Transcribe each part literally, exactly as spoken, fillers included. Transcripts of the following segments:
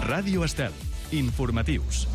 Ràdio Estel. Informatius.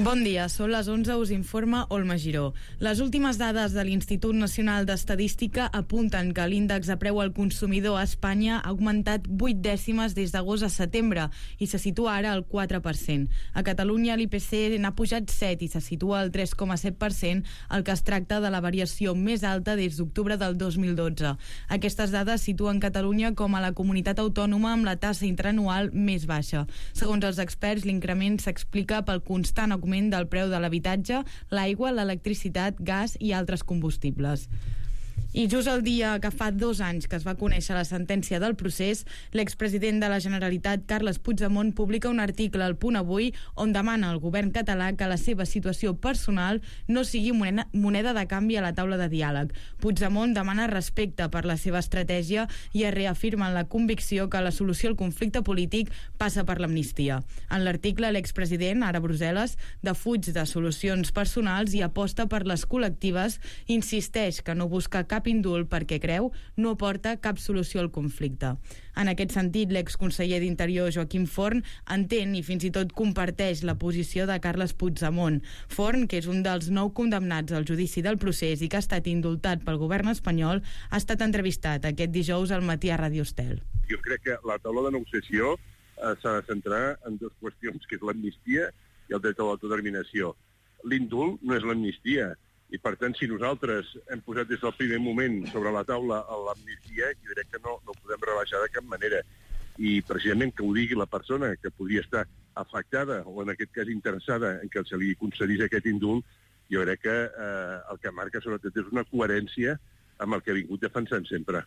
Bon dia, són les onze, us informa Olma Giró. Les últimes dades de l'Institut Nacional d'Estadística apunten que l'índex de preu al consumidor a Espanya ha augmentat vuit dècimes des d'agost a setembre i se situa ara al quatre per cent. A Catalunya l'I P C n'ha pujat set i se situa al tres coma set per cent, el que es tracta de la variació més alta des d'octubre del dos mil dotze. Aquestes dades situen Catalunya com a la comunitat autònoma amb la tassa interanual més baixa. Segons els experts, l'increment s'explica pel constant augment del preu de l'habitatge, l'aigua, l'electricitat, gas i altres combustibles. I just el dia que fa dos anys que es va conèixer la sentència del procés, l'expresident de la Generalitat, Carles Puigdemont, publica un article al Punt Avui on demana al govern català que la seva situació personal no sigui moneda de canvi a la taula de diàleg. Puigdemont demana respecte per la seva estratègia i es reafirma en la convicció que la solució al conflicte polític passa per l'amnistia. En l'article, l'expresident, ara a Brussel·les, defuig de solucions personals i aposta per les col·lectives, insisteix que no busca cap indult perquè creu no aporta cap solució al conflicte. En aquest sentit, l'exconseller d'Interior Joaquim Forn entén i fins i tot comparteix la posició de Carles Puigdemont. Forn, que és un dels nou condemnats al judici del procés i que ha estat indultat pel govern espanyol, ha estat entrevistat aquest dijous al matí a Ràdio Estel. Jo crec que la taula de negociació eh, s'ha de centrar en dues qüestions, que és l'amnistia i el dret a l'autodeterminació. L'indult no és l'amnistia. I, per tant, si nosaltres hem posat des del primer moment sobre la taula l'amnistia, jo crec que no, no podem rebaixar de cap manera. I, precisament, que ho digui la persona que podria estar afectada o, en aquest cas, interessada en que se li concedís aquest indult, jo crec que eh, el que marca, sobretot, és una coherència amb el que ha vingut defensant sempre.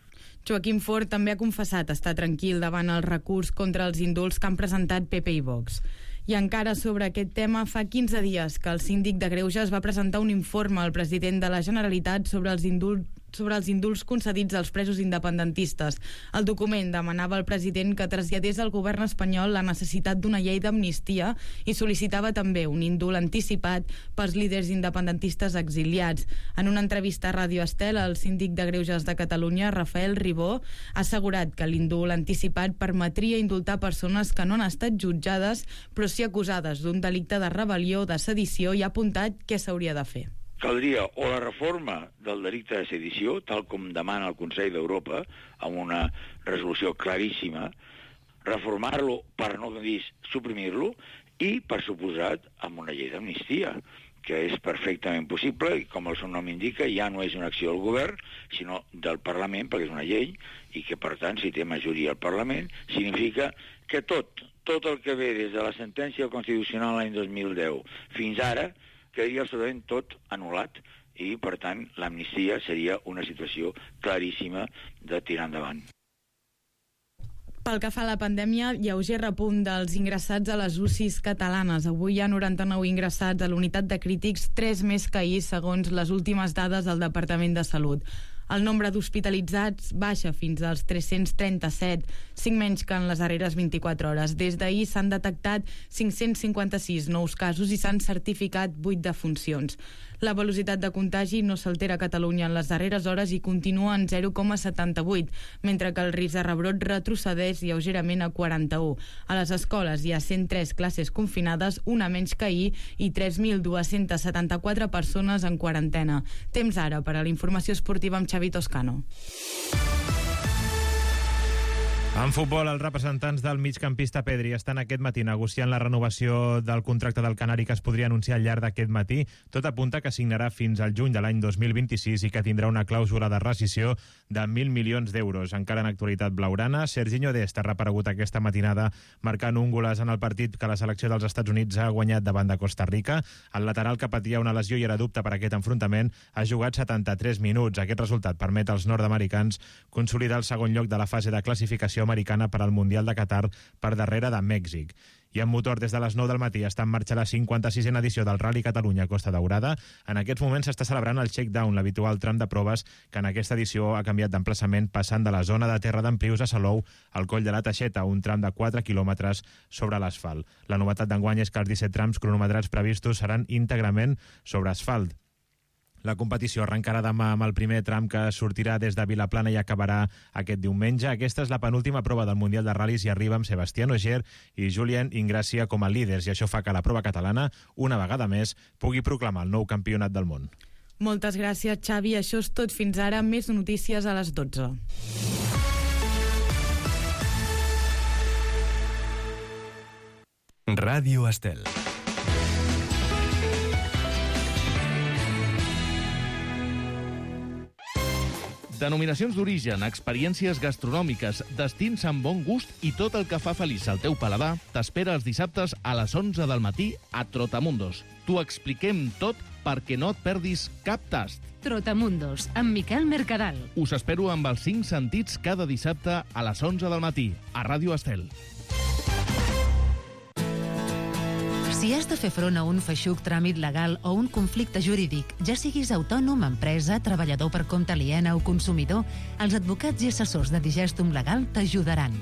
Joaquim Forn també ha confessat estar tranquil davant el recurs contra els indults que han presentat P P i Vox. I encara sobre aquest tema, fa quinze dies que el síndic de Greuges va presentar un informe al president de la Generalitat sobre els indults sobre els indults concedits als presos independentistes. El document demanava al president que traslladés al govern espanyol la necessitat d'una llei d'amnistia i sol·licitava també un indult anticipat pels líders independentistes exiliats. En una entrevista a Ràdio Estel, el síndic de Greuges de Catalunya, Rafael Ribó, ha assegurat que l'indult anticipat permetria indultar persones que no han estat jutjades però sí acusades d'un delicte de rebel·lió, de sedició, i ha apuntat què s'hauria de fer. Caldria o la reforma del delicte de sedició, tal com demana el Consell d'Europa, amb una resolució claríssima, reformar-lo per no dir suprimir-lo, i, per suposat, amb una llei d'amnistia, que és perfectament possible, i com el seu nom indica, ja no és una acció del govern, sinó del Parlament, perquè és una llei, i que, per tant, si té majoria al Parlament, significa que tot, tot el que ve des de la sentència constitucional l'any dos mil deu fins ara, quedaria absolutament tot anul·lat i, per tant, l'amnistia seria una situació claríssima de tirar endavant. Pel que fa a la pandèmia, lleuger repunt dels ingressats a les U C Is catalanes. Avui hi ha noranta-nou ingressats a l'unitat de crítics, tres més que ahir, segons les últimes dades del Departament de Salut. El nombre d'hospitalitzats baixa fins als tres-cents trenta-set, cinc menys que en les darreres vint-i-quatre hores. Des d'ahir s'han detectat cinc-cents cinquanta-sis nous casos i s'han certificat vuit defuncions. La velocitat de contagi no s'altera a Catalunya en les darreres hores i continua en zero coma setanta-vuit, mentre que el risc de rebrot retrocedeix lleugerament a quaranta-u. A les escoles hi ha cent tres classes confinades, una menys que ahir, i tres mil dos-cents setanta-quatre persones en quarantena. Temps ara per a la informació esportiva amb Xavi Toscano. En futbol, els representants del migcampista Pedri estan aquest matí negociant la renovació del contracte del canari que es podria anunciar al llarg d'aquest matí. Tot apunta que signarà fins al juny de l'any dos mil vint-i-sis i que tindrà una clàusula de rescissió de mil milions d'euros. Encara en actualitat blaugrana, Serginho Dest ha reaparegut aquesta matinada marcant un golaç en el partit que la selecció dels Estats Units ha guanyat davant de Costa Rica. El lateral, que patia una lesió i era dubte per aquest enfrontament, ha jugat setanta-tres minuts. Aquest resultat permet als nord-americans consolidar el segon lloc de la fase de classificació americana per al Mundial de Qatar, per darrere de Mèxic. I en motor, des de les nou del matí està en marxa la cinquanta-sisena edició del Rally Catalunya Costa Daurada. En aquests moments s'està celebrant el shakedown, l'habitual tram de proves que en aquesta edició ha canviat d'emplaçament, passant de la zona de terra d'Emprius a Salou al Coll de la Teixeta, un tram de quatre quilòmetres sobre l'asfalt. La novetat d'enguany és que els disset trams cronometrats previstos seran íntegrament sobre asfalt. La competició arrencarà demà amb el primer tram que sortirà des de Vilaplana i acabarà aquest diumenge. Aquesta és la penúltima prova del Mundial de Ral·lis i arriba amb Sebastián Ogier i Julien Ingràcia com a líders, i això fa que la prova catalana, una vegada més, pugui proclamar el nou campionat del món. Moltes gràcies, Xavi. Això és tot fins ara. Més notícies a les dotze. Ràdio Estel. Denominacions d'origen, experiències gastronòmiques, destins amb bon gust i tot el que fa feliç al teu paladar t'espera els dissabtes a les onze del matí a Trotamundos. T'ho expliquem tot perquè no et perdis cap tast. Trotamundos, amb Miquel Mercadal. Us espero amb els cinc sentits cada dissabte a les onze del matí a Ràdio Estel. Si has de fer front a un feixuc tràmit legal o un conflicte jurídic, ja siguis autònom, empresa, treballador per compte aliena o consumidor, els advocats i assessors de Digestum Legal t'ajudaran.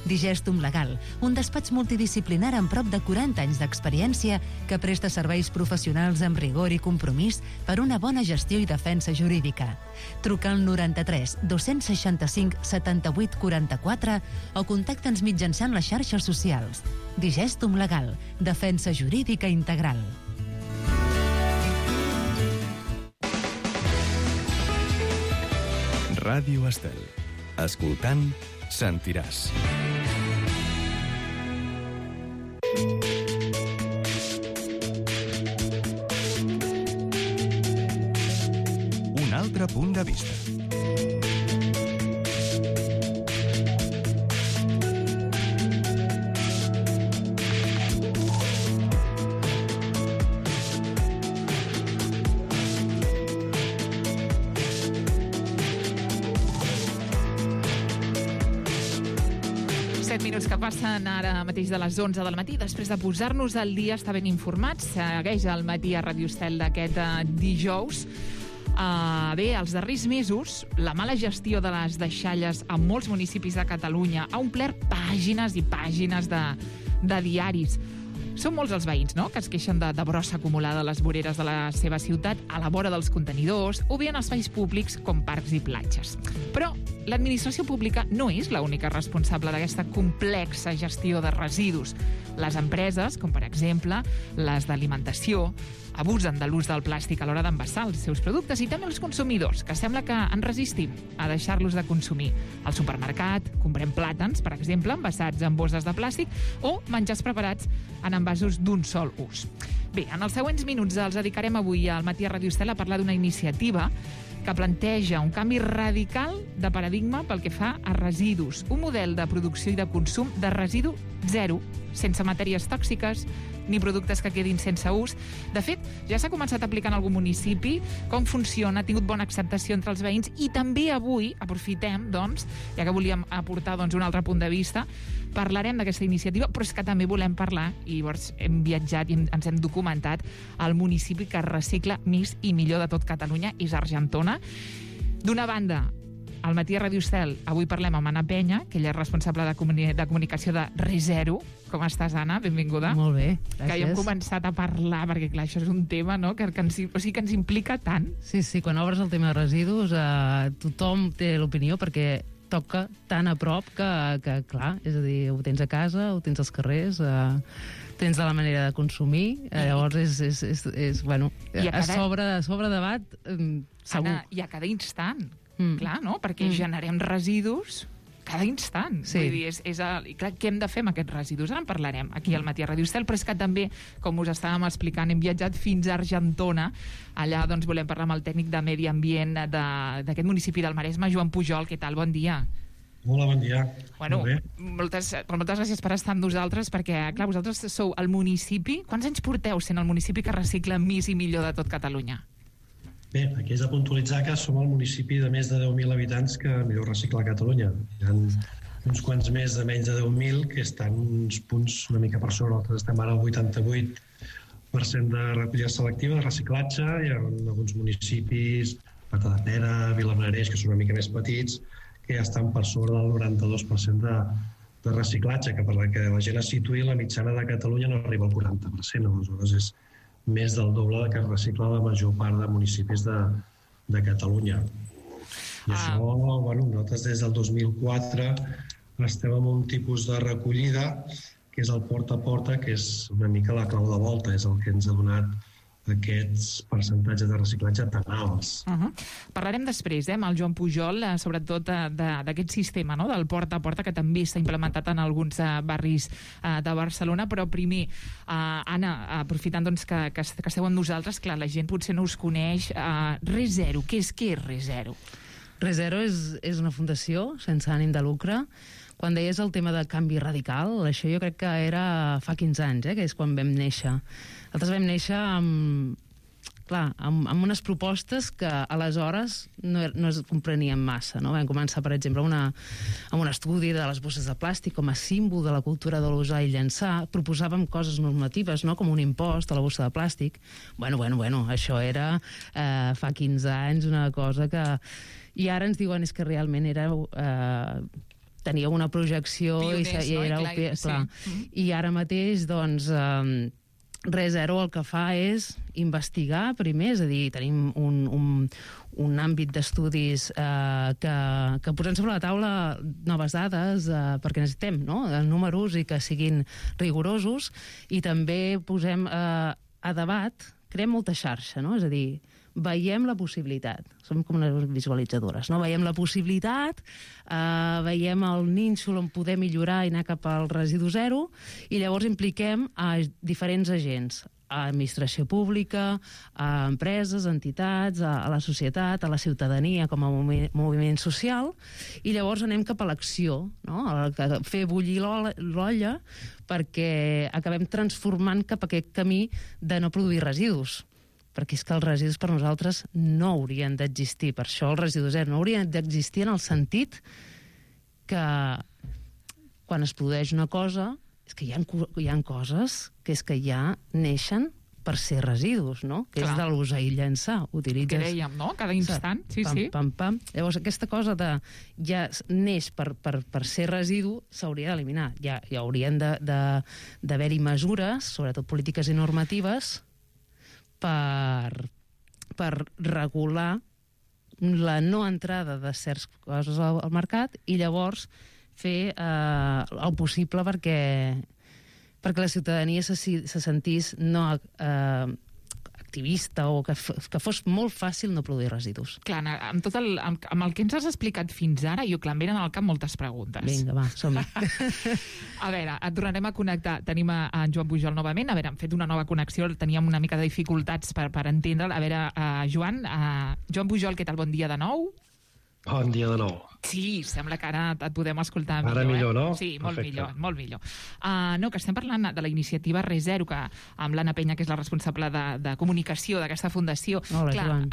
Digestum Legal, un despatx multidisciplinar amb prop de quaranta anys d'experiència que presta serveis professionals amb rigor i compromís per una bona gestió i defensa jurídica. Truca al noranta-tres dos-cents seixanta-cinc setanta-vuit quaranta-quatre o contacta'ns mitjançant les xarxes socials. Digestum Legal, defensa jurídica integral. Ràdio Estel. Escoltant, sentiràs. Un altre punt de vista. set minuts que passen ara mateix de les onze del matí. Després de posar-nos al dia, estar ben informats, segueix el matí a Ràdio Estel d'aquest uh, dijous. Uh, bé, els darrers mesos, la mala gestió de les deixalles a molts municipis de Catalunya ha omplert pàgines i pàgines de, de diaris. Són molts els veïns, no?, que es queixen de, de brossa acumulada a les voreres de la seva ciutat, a la vora dels contenidors, o bé en espais públics com parcs i platges. Però l'administració pública no és l'única responsable d'aquesta complexa gestió de residus. Les empreses, com per exemple les d'alimentació, abusen de l'ús del plàstic a l'hora d'envasar els seus productes, i també els consumidors, que sembla que ens resistim a deixar-los de consumir. Al supermercat comprem plàtans, per exemple, envasats en bosses de plàstic, o menjars preparats en envasos d'un sol ús. Bé, en els següents minuts els dedicarem avui al matí a Ràdio Estel a parlar d'una iniciativa que planteja un canvi radical de paradigma pel que fa a residus. Un model de producció i de consum de residu zero, sense matèries tòxiques ni productes que quedin sense ús. De fet, ja s'ha començat a aplicar en algun municipi. Com funciona, ha tingut bona acceptació entre els veïns, i també avui aprofitem, doncs, ja que volíem aportar doncs, un altre punt de vista, parlarem d'aquesta iniciativa, però és que també volem parlar, i llavors hem viatjat i ens hem documentat, al municipi que recicla més i millor de tot Catalunya, és Argentona. D'una banda, al matí a Ràdio Estel, avui parlem amb Anna Penya, que ella és responsable de, comuni de comunicació de ReZero. Com estàs, Anna? Benvinguda. Molt bé, gràcies. Que ja hem començat a parlar, perquè clar, això és un tema, no?, que, que, ens, o sigui, que ens implica tant. Sí, sí, quan obres el tema de residus, eh, tothom té l'opinió, perquè toca tan a prop que, que, clar, és a dir, ho tens a casa, ho tens als carrers, eh, tens de la manera de consumir, eh, llavors és, és, és, és bueno, a, cada... a, sobre, a sobre debat, eh, segur. Anna, i a cada instant, mm. clar, no?, perquè mm. generem residus cada instant. Sí. Vull dir, és, és el, i clar, què hem de fer amb aquests residus? Ara en parlarem aquí al matí a Ràdio Estel, però és que també, com us estàvem explicant, hem viatjat fins a Argentona. Allà doncs, volem parlar amb el tècnic de Medi Ambient d'aquest municipi del Maresme, Joan Pujol. Què tal? Bon dia. Hola, bon dia. Bueno, moltes, moltes gràcies per estar amb nosaltres, perquè, clar, vosaltres sou el municipi... Quants anys porteu sent el municipi que recicla més i millor de tot Catalunya? Bé, aquí és de puntualitzar que som el municipi de més de deu mil habitants que millor recicla a Catalunya. Hi ha uns quants més de menys de deu mil que estan uns punts una mica per sobre. Nosaltres estem ara al vuitanta-vuit per cent de recollida selectiva, de reciclatge. Hi ha alguns municipis, Matadepera, Vilablareix, que són una mica més petits, que ja estan per sobre del noranta-dos per cent de, de reciclatge, que per la que la gent es situï, la mitjana de Catalunya no arriba al quaranta per cent. Aleshores és més del doble que recicla la major part de municipis de, de Catalunya. I ah. això, bueno, nosaltres des del dos mil quatre estem en un tipus de recollida que és el porta a porta, que és una mica la clau de volta, és el que ens ha donat aquests percentatges de reciclatge tan alts. Uh -huh. Parlarem després, eh, amb el Joan Pujol, eh, sobretot eh, d'aquest sistema, no?, del porta a porta, que també s'ha implementat en alguns eh, barris eh, de Barcelona, però primer, eh, Anna, aprofitant doncs, que, que, que esteu amb nosaltres, clar, la gent potser no us coneix, eh, ReZero, què és, què és ReZero? ReZero és, és una fundació sense ànim de lucre. Quan deies el tema de canvi radical, això jo crec que era fa quinze anys, eh, que és quan vam néixer. Nosaltres vam néixer amb, clar, amb, amb unes propostes que aleshores no, no es comprenien massa. No? Vam començar, per exemple, una, amb un estudi de les bosses de plàstic com a símbol de la cultura de l'usar i llançar. Proposàvem coses normatives, no?, com un impost a la bossa de plàstic. Bueno, bueno, bueno, això era eh, fa quinze anys una cosa que... I ara ens diuen és que realment era... Eh, tenia una projecció Pioners, i, i no? era I, clar, clar, sí. clar. Mm-hmm. I ara mateix doncs eh, ReZero el que fa és investigar primer, és a dir, tenim un, un, un àmbit d'estudis eh, que, que posem sobre la taula noves dades eh, perquè necessitem, no?, números i que siguin rigorosos, i també posem eh, a debat, creem molta xarxa, no?, és a dir, veiem la possibilitat, som com unes visualitzadores, no? Veiem la possibilitat, eh, veiem el nínxol on poder millorar i anar cap al residu zero, i llavors impliquem a diferents agents, a administració pública, a empreses, entitats, a, a la societat, a la ciutadania com a movi moviment social, i llavors anem cap a l'acció, no?, a fer bullir l'olla perquè acabem transformant cap a aquest camí de no produir residus, perquè és que els residus per nosaltres no haurien d'existir. Per això el residu zero no haurien d'existir en el sentit que quan es produeix una cosa és que hi ha, hi ha coses que és que ja neixen per ser residus, no? Que Clar. És de l'usar i llançar. Utilitzes... Que dèiem, no?, cada instant. Sí, pam, sí. Pam, pam. Llavors, aquesta cosa de ja neix per, per, per ser residu s'hauria d'eliminar. Ja, ja haurien d'haver-hi mesures, sobretot polítiques i normatives, per, per regular la no entrada de certes coses al, al mercat i llavors fer eh, el possible perquè, perquè la ciutadania se, se sentís no eh, activista o que, que fos molt fàcil no produir residus. Clar, amb, tot el, amb, amb el que ens has explicat fins ara, jo, clar, em venen al cap moltes preguntes. Vinga, va, som-hi. A veure, et tornarem a connectar. Tenim a, a en Joan Pujol novament. A veure, hem fet una nova connexió, teníem una mica de dificultats per, per entendre'l. A veure, uh, Joan, uh, Joan Pujol, què tal? Bon dia de nou. Bon dia de nou. Sí, sembla que ara et podem escoltar millor. Ara millor, eh? no? Sí, molt Perfecte. millor, molt millor. Uh, no, que estem parlant de la iniciativa ReZero, que amb l'Anna Penya, que és la responsable de, de comunicació d'aquesta fundació. Hola, clar, Joan.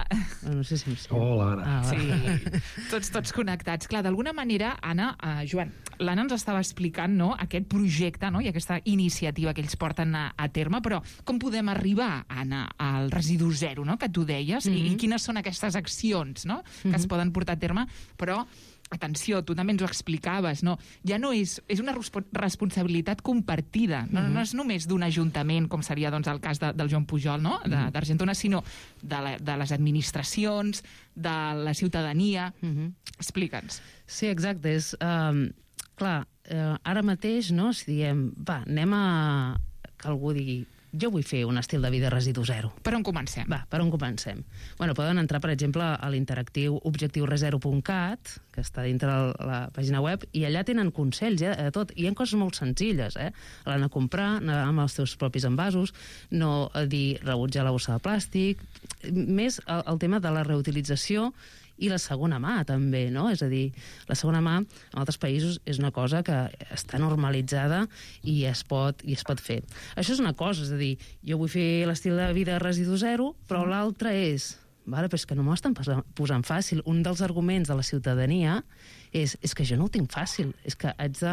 No sé si em sent. Hola, Anna. Ah, sí, tots, tots connectats. Clar, d'alguna manera, Anna, uh, Joan, l'Anna ens estava explicant, no?, aquest projecte, no?, i aquesta iniciativa que ells porten a, a terme, però com podem arribar, Anna, al residu zero, no?, que tu deies, mm-hmm. i, i quines són aquestes accions, no?, que mm-hmm. es poden portar a terme, però atenció, tu també ens ho explicaves, no? Ja no és... És una responsabilitat compartida. No, mm-hmm. no és només d'un ajuntament, com seria doncs, el cas de, del Joan Pujol, no?, d'Argentona, sinó de, la, de les administracions, de la ciutadania. Mm-hmm. Explica'ns. Sí, exacte. És, um, clar, uh, ara mateix, no?, si diem, va, anem a... que algú digui, jo vull fer un estil de vida residu zero. Per on comencem? Va, per on comencem? Bueno, poden entrar, per exemple, a l'interactiu objectiu rezero punt cat, que està dintre la pàgina web, i allà tenen consells, eh, de tot. I hi ha coses molt senzilles, eh? L'anar a comprar, anar amb els teus propis envasos, no dir rebutjar la bossa de plàstic, més el, el tema de la reutilització i la segona mà, també, no? És a dir, la segona mà, en altres països, és una cosa que està normalitzada i es pot, i es pot fer. Això és una cosa, és a dir, jo vull fer l'estil de vida residu zero, però mm. l'altre és... Vale, però és que no m'ho estan posant fàcil. Un dels arguments de la ciutadania és, és que jo no ho tinc fàcil, és que haig de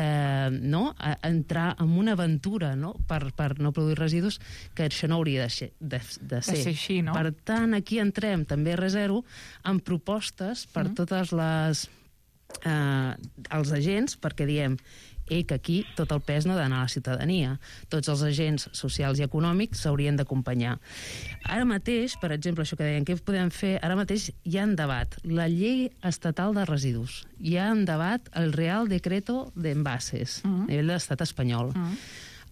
eh, no, entrar en una aventura, no?, per, per no produir residus, que això no hauria de ser. De, de ser. De ser així, no? Per tant, aquí entrem també a ReZero amb propostes per mm. totes les... Eh, els agents, perquè diem i que aquí tot el pes no ha d'anar a la ciutadania. Tots els agents socials i econòmics s'haurien d'acompanyar. Ara mateix, per exemple, això que deien, què podem fer? Ara mateix hi ha en debat la llei estatal de residus, hi ha en debat el Real Decreto de Envases, uh-huh. a nivell de l'estat espanyol. Uh-huh.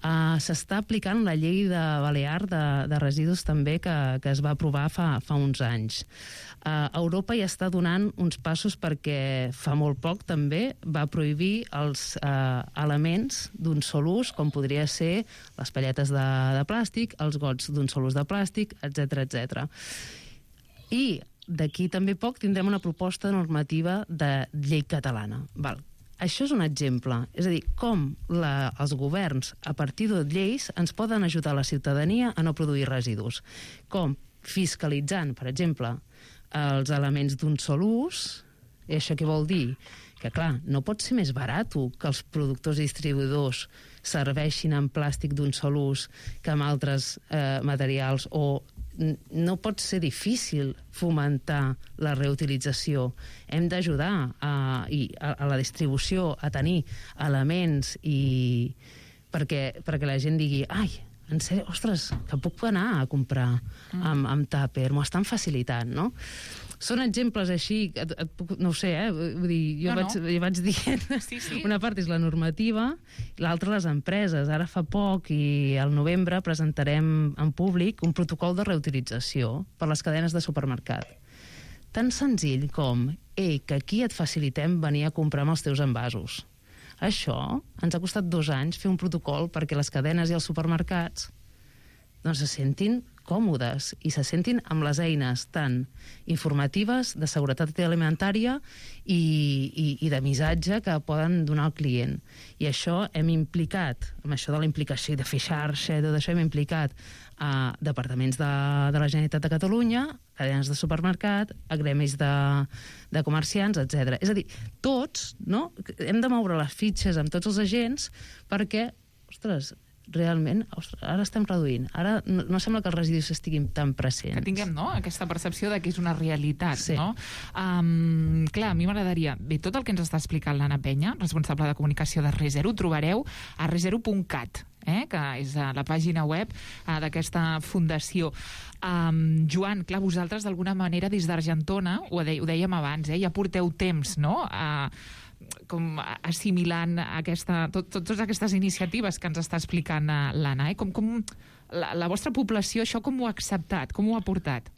Uh, s'està aplicant la llei de Balear de, de residus també que, que es va aprovar fa, fa uns anys. Uh, Europa ja està donant uns passos perquè fa molt poc també va prohibir els uh, elements d'un sol ús, com podria ser les palletes de, de plàstic, els gots d'un sol ús de plàstic, etcètera, etcètera. I d'aquí també poc tindrem una proposta normativa de llei catalana. Val. Això és un exemple, és a dir, com la, els governs, a partir de lleis, ens poden ajudar a la ciutadania a no produir residus. Com fiscalitzant, per exemple, els elements d'un sol ús, i això què vol dir? Que, clar, no pot ser més barat que els productors i distribuïdors serveixin en plàstic d'un sol ús que amb altres eh, materials, o no pot ser difícil fomentar la reutilització. Hem d'ajudar a, a, a la distribució a tenir elements i perquè, perquè la gent digui ai, en sèrio, ostres, que puc anar a comprar amb, amb tàper, m'ho estan facilitant, no? Són exemples així, et, et puc, no ho sé, eh? Vull dir, jo no, vaig, no. Jo vaig dient, sí, sí. Una part és la normativa, l'altra les empreses. Ara fa poc i al novembre presentarem en públic un protocol de reutilització per les cadenes de supermercat. Tan senzill com, ei, que aquí et facilitem venir a comprar amb els teus envasos. Això ens ha costat dos anys fer un protocol perquè les cadenes i els supermercats doncs se sentin còmodes i se sentin amb les eines tant informatives, de seguretat alimentària i, i, i de missatge que poden donar al client. I això hem implicat, amb això de la implicació de fer xarxa, tot això hem implicat a departaments de, de la Generalitat de Catalunya, cadenes de supermercat, a gremis de, de comerciants, etcètera. És a dir, tots, no? Hem de moure les fitxes amb tots els agents perquè, ostres, realment, ostres, ara estem reduint. Ara no, no sembla que els residus estiguin tan presents. Que tinguem, no?, aquesta percepció de que és una realitat, sí. No? Um, clar, a mi m'agradaria... Bé, tot el que ens està explicant l'Anna Penya, responsable de comunicació de ReZero, ho trobareu a rezero punt cat, eh? Que és la pàgina web uh, d'aquesta fundació. Um, Joan, clar, vosaltres d'alguna manera des d'Argentona, ho, de, ho dèiem abans, eh? Ja porteu temps, no?, a uh, com assimilant aquesta, tot, tot, totes aquestes iniciatives que ens està explicant l'Anna. Eh? Com, com la, la vostra població això com ho ha acceptat? Com ho ha portat?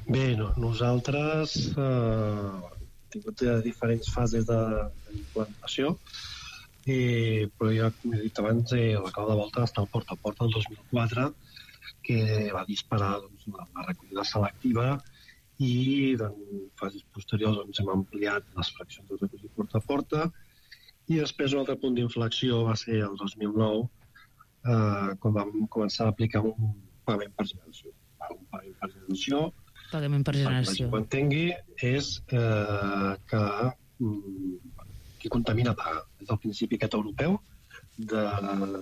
Bé, no, nosaltres eh, hem tingut diferents fases d'implantació, eh, però ja, com he dit abans, eh, la clau de volta està al porta a porta el dos mil quatre, que va disparar doncs, la, la recollida selectiva i en fases posteriors doncs, hem ampliat les fraccions de recollir porta a porta i després un altre punt d'inflexió va ser el dos mil nou eh, quan vam començar a aplicar un pagament per generació. Un pagament per generació, pagament per generació. Ho entengui, és eh, que mm, qui contamina paga. És el principi aquest europeu de,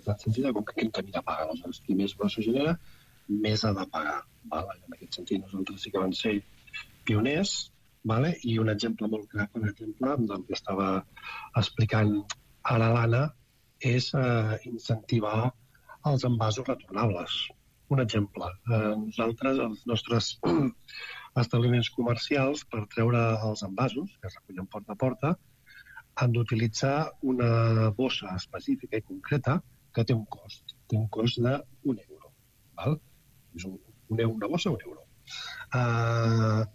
de sentit com que qui contamina paga. Aleshores, qui més brossa genera, més ha de pagar. Vale? En aquest sentit, nosaltres sí que van ser pioners, vale? I un exemple molt clar, per exemple, del que estava explicant ara l'Anna, és eh, incentivar els envasos retornables. Un exemple, eh, nosaltres, els nostres establiments comercials, per treure els envasos, que es recullen porta a porta, han d'utilitzar una bossa específica i concreta que té un cost. Té un cost d'un euro. Val? És un, un euro, una bossa, un euro. Uh,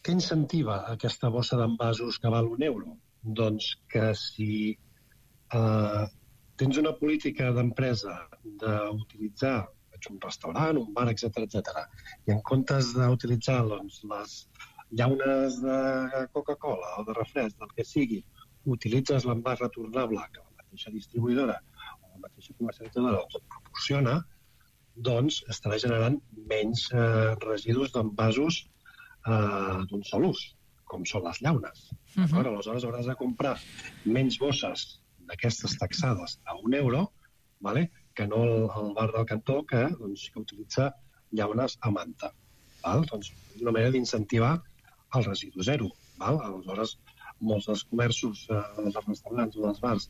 què incentiva aquesta bossa d'envasos que val un euro? Doncs que si uh, tens una política d'empresa d'utilitzar un restaurant, un bar, etcètera, etcètera, i en comptes d'utilitzar doncs, les llaunes de Coca-Cola o de refresc, del que sigui, utilitzes l'envàs retornable que la mateixa distribuïdora o la mateixa comercialitzadora els proporciona, doncs estarà generant menys eh, residus d'envasos eh, d'un sol ús, com són les llaunes. Uh -huh. Aleshores hauràs de comprar menys bosses d'aquestes taxades a un euro, vale? Que no el, el bar del cantó, que doncs, que utilitza llaunes a manta. Val? Doncs és una manera d'incentivar el residu zero. Val? Aleshores, molts dels comerços, eh, dels restaurants o dels bars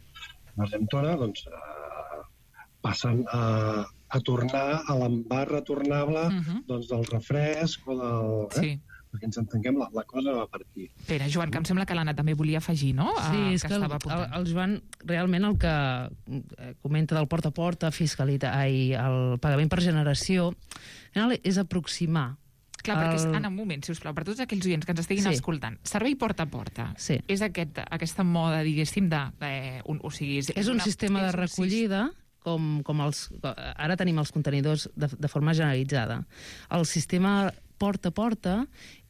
d'Argentona, doncs eh, passen a, a tornar a l'envàs retornable uh-huh. doncs, del refresc o del... Eh? Sí. Perquè ens entenguem, la, la cosa va per aquí. Espera, Joan, que em sembla que l'Anna també volia afegir, no? Sí, uh, és que, que el, el, el Joan realment el que comenta del porta a porta, fiscalitat, ai, el pagament per generació, és aproximar. Clar, perquè, el... Anna, un moment, sisplau, per tots aquells oients que ens estiguin sí. escoltant, servei porta a porta sí. és aquest, aquesta moda, diguéssim, de... Eh, un, o sigui, és, és un una, sistema és de recollida... Com, com els, ara tenim els contenidors de, de forma generalitzada. El sistema porta a porta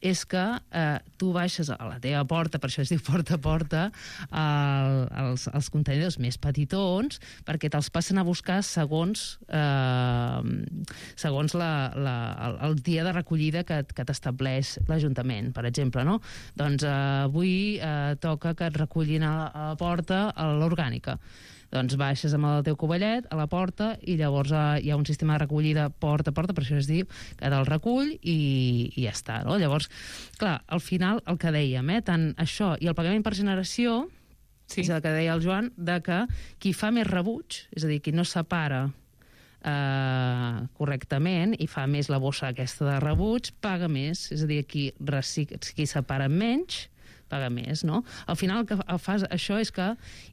és que eh, tu baixes a la teva porta, per això es diu porta a porta, eh, els, els contenidors més petitons, perquè te'ls passen a buscar segons, eh, segons la, la, el, el dia de recollida que, que t'estableix l'Ajuntament, per exemple. No? Doncs eh, avui eh, toca que et recullin a la, a la porta a l'orgànica. Doncs baixes amb el teu covellet a la porta i llavors eh, hi ha un sistema de recollida porta a porta, per això es diu que te'l recull i, i ja està, no? Llavors, clar, al final el que dèiem, eh, tant això i el pagament per generació, sí. és el que deia el Joan, de que qui fa més rebuig, és a dir, qui no separa eh, correctament i fa més la bossa aquesta de rebuig, paga més, és a dir, qui, recic... qui separa menys paga més, no? Al final el que fas això és que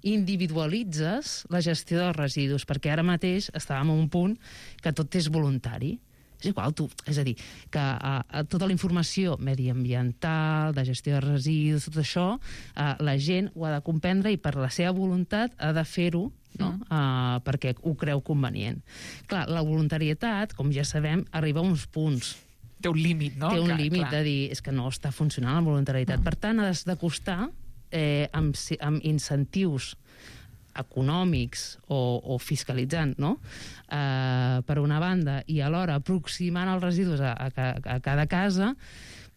individualitzes la gestió dels residus, perquè ara mateix estàvem a un punt que tot és voluntari. És igual, tu, és a dir, que a, a tota la informació mediambiental, de gestió de residus, tot això, a, la gent ho ha de comprendre i per la seva voluntat ha de fer-ho, no? Mm. Uh, perquè ho creu convenient. Clar, la voluntarietat, com ja sabem, arriba a uns punts. Té un límit, no? Té un clar, límit clar. de dir, és que no està funcionant la voluntarietat. Mm. Per tant, has de costar eh, amb, amb incentius econòmics o, o fiscalitzant, no? Eh, per una banda, i alhora aproximant els residus a, a, a cada casa,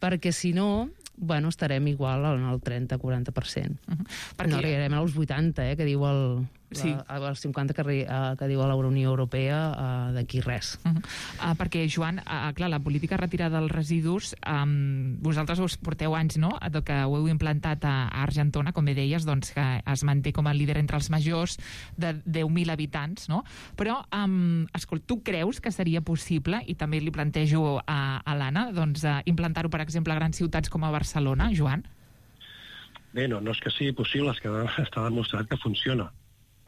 perquè si no, bueno, estarem igual en el trenta a quaranta per cent. Uh-huh. Perquè... No arribarem als vuitanta, eh, que diu el... Sí. La, els cinquanta que, uh, que diu a la Unió Europea uh, d'aquí res. Uh -huh. uh, perquè, Joan, uh, clar, la política retirada dels residus, um, vosaltres us porteu anys, no?, que ho heu implantat a, a Argentona, com bé deies, doncs, que es manté com a líder entre els majors de deu mil habitants, no? Però, um, escolta, tu creus que seria possible, i també li plantejo a, a l'Anna, doncs, uh, implantar-ho, per exemple, a grans ciutats com a Barcelona, Joan? Bé, no, no és que sigui possible, és que està demostrat que funciona.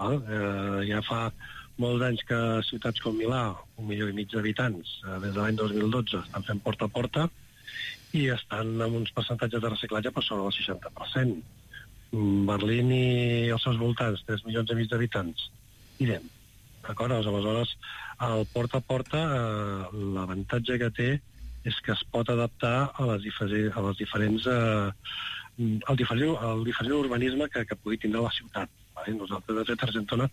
Eh, ja fa molts anys que ciutats com Milà, un milió i mig d'habitants, eh, des de l'any dos mil dotze, estan fent porta a porta i estan amb uns percentatges de reciclatge per sobre del seixanta per cent. Berlín i els seus voltants, tres milions i mig d'habitants, idem. D'acord? Aleshores, el porta a porta, eh, l'avantatge que té és que es pot adaptar a les, diferents, a les diferents eh, al diferent, al diferent urbanisme que, que pugui tindre la ciutat. Nosaltres, de fet, a Argentona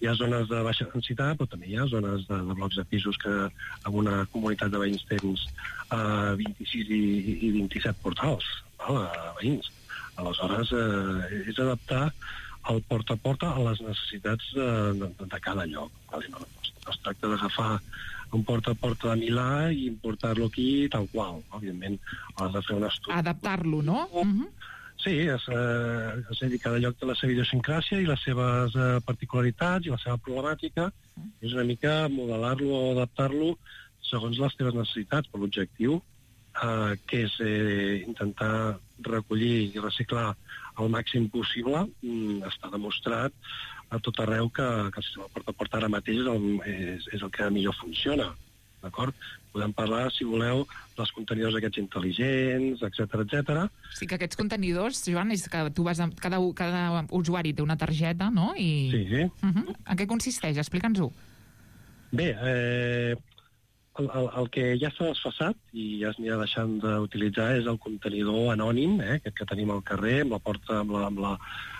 hi ha zones de baixa densitat, però també hi ha zones de, de blocs de pisos que en una comunitat de veïns tens uh, vint-i-sis i, i vint-i-set portals, val, a veïns. Aleshores, eh, és adaptar el porta a porta a les necessitats de, de, de cada lloc. Vale? No, no es tracta d'agafar un porta a porta de Milà i importar-lo aquí tal qual. Òbviament, has de fer un estudi. Adaptar-lo, no? Uh-huh. Sí, és, eh, és a dir, cada lloc té la seva idiosincràsia i les seves eh, particularitats i la seva problemàtica. Mm. És una mica modelar-lo o adaptar-lo segons les teves necessitats, per l'objectiu, eh, que és eh, intentar recollir i reciclar el màxim possible. Mm, està demostrat a tot arreu que, que el sistema porta a porta ara mateix és el, és, és el que millor funciona. D'acord? Podem parlar, si voleu, dels contenidors aquests intel·ligents, etcètera, etcètera. Sí, que aquests contenidors, Joan, és que tu vas a, cada, cada usuari té una targeta, no? I... Sí, sí. Uh-huh. En què consisteix? Explica'ns-ho. Bé, eh, el, el, el que ja s'ha desfasat i ja es n'hi ha deixant d'utilitzar és el contenidor anònim, eh, aquest que tenim al carrer, amb la porta, amb la... Amb la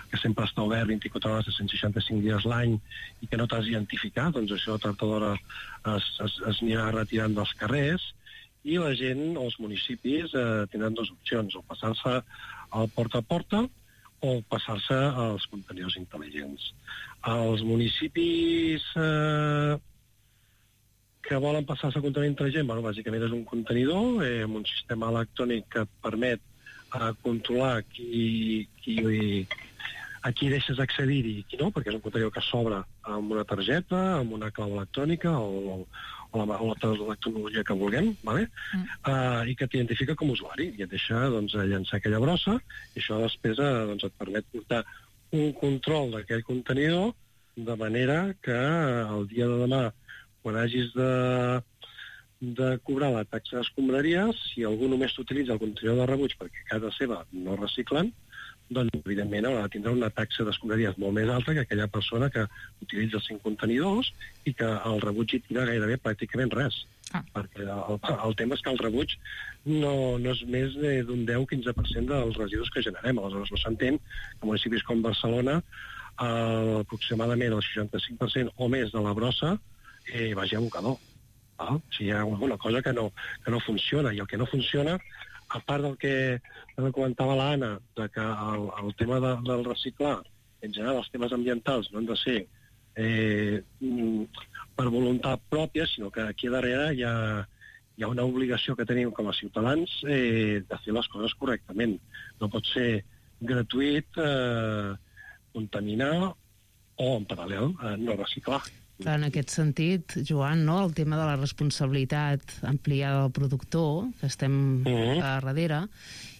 que sempre està obert vint-i-quatre hores de cent seixanta-cinc dies l'any i que no t'has identificat, doncs això tard o d'hora es, es, es anirà retirant dels carrers i la gent, els municipis, eh, tindran dues opcions, o passar-se al porta a porta o passar-se als contenidors intel·ligents. Els municipis eh, que volen passar-se al contenidor intel·ligent, bueno, bàsicament és un contenidor eh, amb un sistema electrònic que et permet a controlar qui, qui, a qui deixes accedir-hi i qui no, perquè és un contenidor que s'obre amb una targeta, amb una clau electrònica o, o, la, o la tecnologia que vulguem, ¿vale? mm. uh, i que t'identifica com a usuari i et deixa doncs, llançar aquella brossa i això després uh, doncs, et permet portar un control d'aquell contenidor de manera que el dia de demà, quan hagis de, de cobrar la taxa d'escombraries, si algú només t'utilitza el contenidor de rebuig perquè a casa seva no reciclen, doncs evidentment haurà de tindre una taxa d'escombraries molt més alta que aquella persona que utilitza cinc contenidors i que el rebuig hi tira gairebé pràcticament res. Ah. Perquè el, el tema és que el rebuig no, no és més d'un deu a quinze per cent dels residus que generem. Aleshores no s'entén que municipis com Barcelona eh, aproximadament el seixanta-cinc per cent o més de la brossa eh, vagi a abocador. Ah? O sigui, hi ha alguna cosa que no, que no funciona, i el que no funciona, a part del que, del que comentava l'Anna, de que el, el tema de, del reciclar, en general els temes ambientals no han de ser eh, per voluntat pròpia, sinó que aquí darrere hi ha, hi ha una obligació que tenim com a ciutadans eh, de fer les coses correctament. No pot ser gratuït eh, contaminar o, en paral·lel, eh, no reciclar. Clar, en aquest sentit, Joan, no, el tema de la responsabilitat ampliada del productor, que estem uh-huh. a darrere,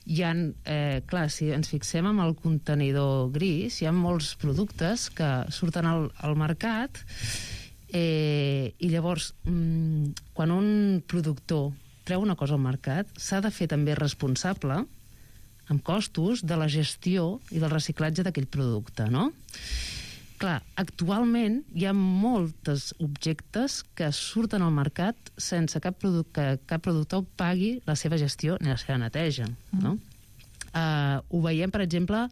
hi ha, eh, clar, si ens fixem en el contenidor gris, hi ha molts productes que surten al, al mercat eh, i llavors, mmm, quan un productor treu una cosa al mercat, s'ha de fer també responsable amb costos de la gestió i del reciclatge d'aquell producte, no? Clar, actualment hi ha molts objectes que surten al mercat sense cap produc- que cap productor pagui la seva gestió ni la seva neteja, no? Uh, ho veiem, per exemple,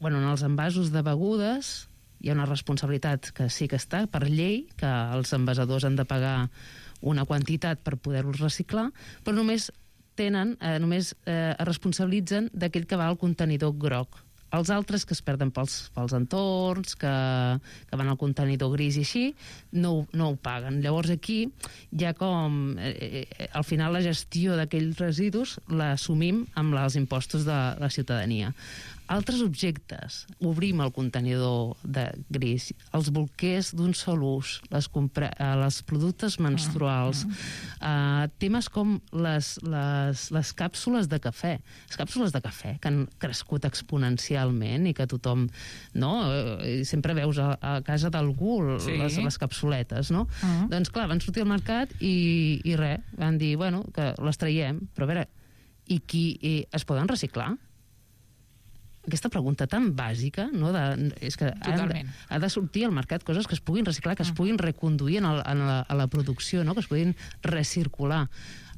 bueno, en els envasos de begudes hi ha una responsabilitat que sí que està per llei, que els envasadors han de pagar una quantitat per poder-los reciclar, però només tenen, eh, només eh, es responsabilitzen d'aquell que va al contenidor groc. Els altres que es perden pels, pels entorns, que, que van al contenidor gris i així, no, no ho paguen. Llavors aquí ja com eh, eh, al final la gestió d'aquells residus l'assumim amb els impostos de la ciutadania. Altres objectes, obrim el contenidor de gris, els bolquers d'un sol ús, les, compra- les productes menstruals, uh, temes com les, les, les càpsules de cafè, les càpsules de cafè que han crescut exponencialment i que tothom, no, uh, sempre veus a, a casa d'algú sí. les, les capsuletes, no? Uh-huh. Doncs clar, van sortir al mercat i, i res, van dir, bueno, que les traiem, però a veure, i qui i es poden reciclar? Aquesta pregunta tan bàsica, no? De, és que ha de, ha de sortir al mercat coses que es puguin reciclar, que es puguin reconduir en, el, en la, a la producció, no? Que es puguin recircular.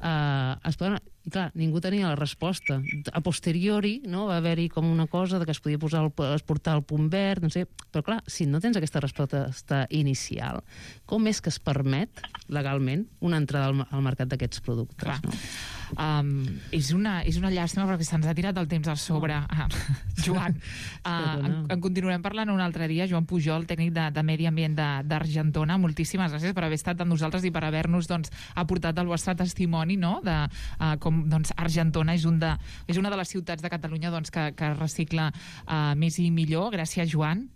Uh, es poden, clar, ningú tenia la resposta. A posteriori, no? Va haver-hi com una cosa de que es podia posar el, es portar al punt verd, no sé, però clar, si no tens aquesta resposta inicial, com és que es permet legalment una entrada al, al mercat d'aquests productes? Clar. No? Um, és, una, és una llàstima perquè se'ns ha tirat el temps al sobre. Oh. Ah, Joan, uh, en, en continuarem parlant un altre dia. Joan Pujol, tècnic de, de Medi Ambient d'Argentona, moltíssimes gràcies per haver estat amb nosaltres i per haver-nos doncs, aportat el vostre testimoni, no? De uh, com doncs, Argentona és, un de, és una de les ciutats de Catalunya doncs, que, que recicla uh, més i millor. Gràcies, Joan.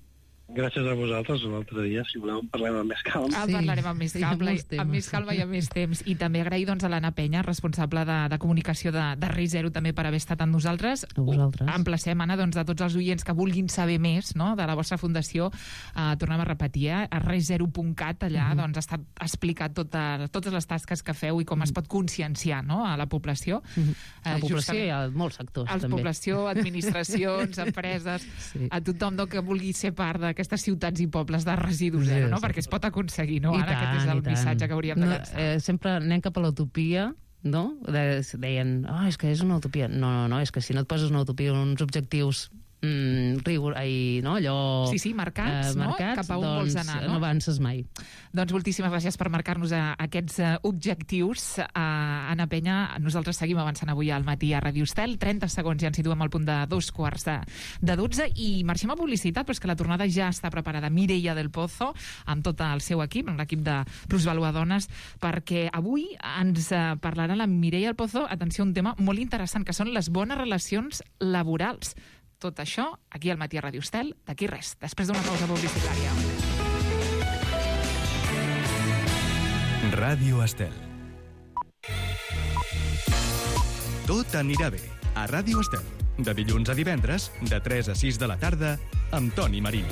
Gràcies a vosaltres, un altre dia, si voleu, en parlem amb més calma. Ah, sí. Parlarem amb més calma, sí, amb més calma i amb més temps. I també agrair doncs, a l'Anna Penya, responsable de, de comunicació de, de Risc Zero, també per haver estat amb nosaltres. A vosaltres. Emplacem, Anna, doncs, a tots els oients que vulguin saber més, no?, de la vostra fundació. Uh, tornem a repetir, eh? a risc zero punt cat, allà uh-huh. doncs, està explicat tota, totes les tasques que feu i com uh-huh. es pot conscienciar, no?, a la població. Uh-huh. A la població i a molts sectors, a la també. Població, administracions, empreses, sí. a tothom no, que vulgui ser part d'aquestes ciutats i pobles de residus zero, no? Perquè es pot aconseguir, no? Ara aquest és el missatge que hauríem de llançar. No, eh, sempre anem cap a l'utopia, no? De, deien, oh, és que és una utopia. No, no, no, és que si no et poses una utopia, uns objectius mm, rigor, ai, no, allò... Sí, sí, marcats, eh, no? marcats, Cap a on doncs, vols anar, no? no avances mai. Doncs moltíssimes gràcies per marcar-nos a, a aquests uh, objectius. Uh, Anna Penya, nosaltres seguim avançant avui al matí a Ràdio Estel. trenta segons ja ens situem al punt de dos quarts de, de dotze i marxem a publicitat, però és que la tornada ja està preparada. Mireia del Pozo, amb tot el seu equip, amb l'equip de Plusvalua Dones, perquè avui ens uh, parlarà la Mireia del Pozo, atenció, un tema molt interessant, que són les bones relacions laborals. Tot això aquí al matí a Ràdio Estel, d'aquí res, després d'una pausa publicitària. Ràdio Estel. Tot anirà bé a Ràdio Estel. De dilluns a divendres, de tres a sis de la tarda, amb Toni Marín.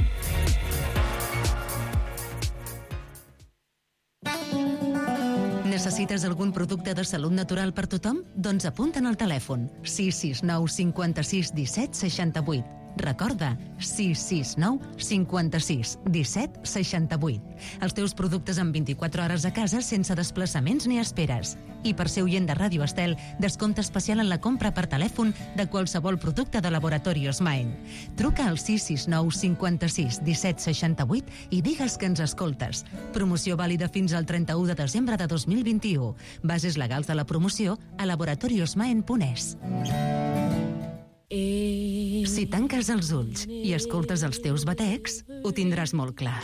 Necessites algun producte de salut natural per tothom? Doncs apunta'n al telèfon sis sis nou cinquanta-sis disset seixanta-vuit. Recorda, sis sis nou cinquanta-sis disset seixanta-vuit. Els teus productes en vint-i-quatre hores a casa sense desplaçaments ni esperes. I per ser oient de Ràdio Estel, descompte especial en la compra per telèfon de qualsevol producte de Laboratorios Maen. Truca al sis sis nou cinquanta-sis disset seixanta-vuit i digues que ens escoltes. Promoció vàlida fins al trenta-u de desembre de dos mil vint-i-u. Bases legals de la promoció a laboratoriosmaen punt es. Si tanques els ulls i escoltes els teus batecs, ho tindràs molt clar.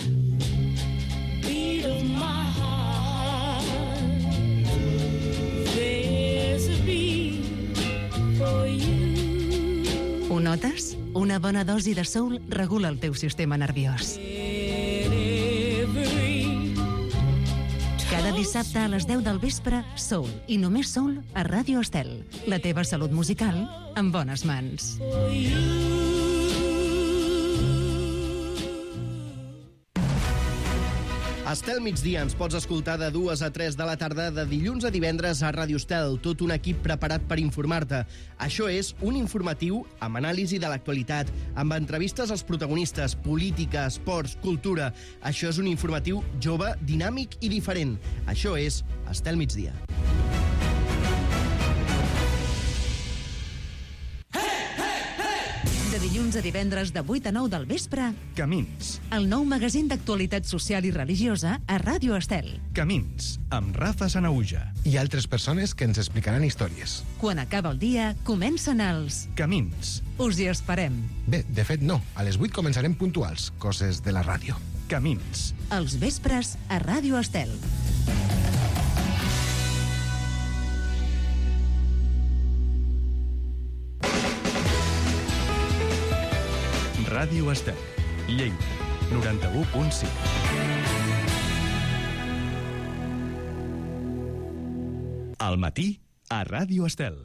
Ho notes? Una bona dosi de soul regula el teu sistema nerviós. Cada dissabte a les deu del vespre, Soul, i només Soul a Ràdio Estel. La teva salut musical en bones mans. Estel migdia ens pots escoltar de dues a tres de la tarda de dilluns a divendres a Ràdio Estel, tot un equip preparat per informar-te. Això és un informatiu amb anàlisi de l'actualitat, amb entrevistes als protagonistes, política, esports, cultura. Això és un informatiu jove, dinàmic i diferent. Això és Estel migdia. De dilluns a divendres de vuit a nou del vespre, Camins. el nou magazín d'actualitat social i religiosa a Ràdio Estel. Camins, amb Rafa Sanauja. I altres persones que ens explicaran històries. Quan acaba el dia, comencen els... Camins. Us hi esperem. Bé, de fet no. A les vuit començarem puntuals, coses de la ràdio. Camins. Els vespres a Ràdio Estel. Ràdio Estel. Lleida, noranta-u punt cinc. Al matí, a Ràdio Estel.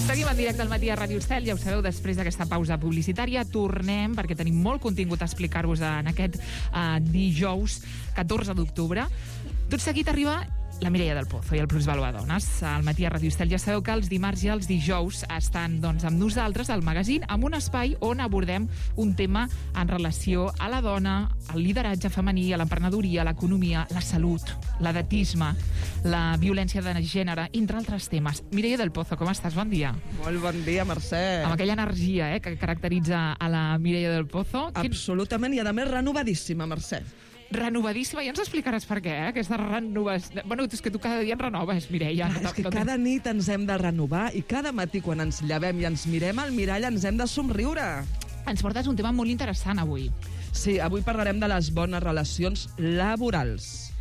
Seguim en directe al matí a Ràdio Estel, ja ho sabeu, després d'aquesta pausa publicitària tornem, perquè tenim molt contingut a explicar-vos en aquest uh, dijous catorze d'octubre. Tot seguit arriba la Mireia del Pozo i el Plusvalua Dones. Al matí a Ràdio Estel ja sabeu que els dimarts i els dijous estan doncs, amb nosaltres al magazín, amb un espai on abordem un tema en relació a la dona, al lideratge femení, a l'emprenedoria, a l'economia, la salut, l'edatisme, la violència de gènere, entre altres temes. Mireia del Pozo, com estàs? Bon dia. Molt bon dia, Mercè. Amb aquella energia eh, que caracteritza a la Mireia del Pozo. Absolutament, i a més renovadíssima, Mercè. Renovadíssima, ja ens explicaràs per què, eh? Aquesta renovació... Bueno, és que tu cada dia et renoves, Mireia. Ah, és que cada nit ens hem de renovar i cada matí quan ens llevem i ens mirem al mirall ens hem de somriure. Ens portes un tema molt interessant avui. Sí, avui parlarem de les bones relacions laborals.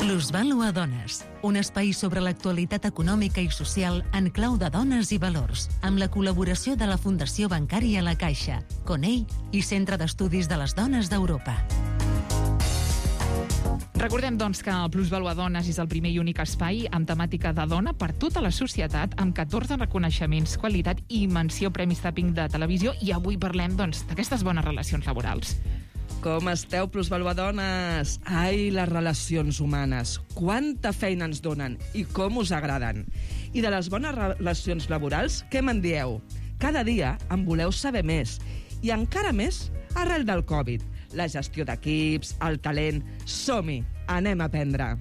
Plusvalua Dones, un espai sobre l'actualitat econòmica i social en clau de dones i valors, amb la col·laboració de la Fundació Bancària La Caixa, Conell i Centre d'Estudis de les Dones d'Europa. Recordem, doncs, que el Plusvalua Dones és el primer i únic espai amb temàtica de dona per tota la societat, amb catorze reconeixements, qualitat i menció Premis Tapping de televisió, i avui parlem, doncs, d'aquestes bones relacions laborals. Com esteu, Plusvalua Dones? Ai, les relacions humanes. Quanta feina ens donen i com us agraden. I de les bones relacions laborals, què me'n dieu? Cada dia en voleu saber més. I encara més arrel del Covid. La gestió d'equips, el talent... Som-hi, anem a aprendre.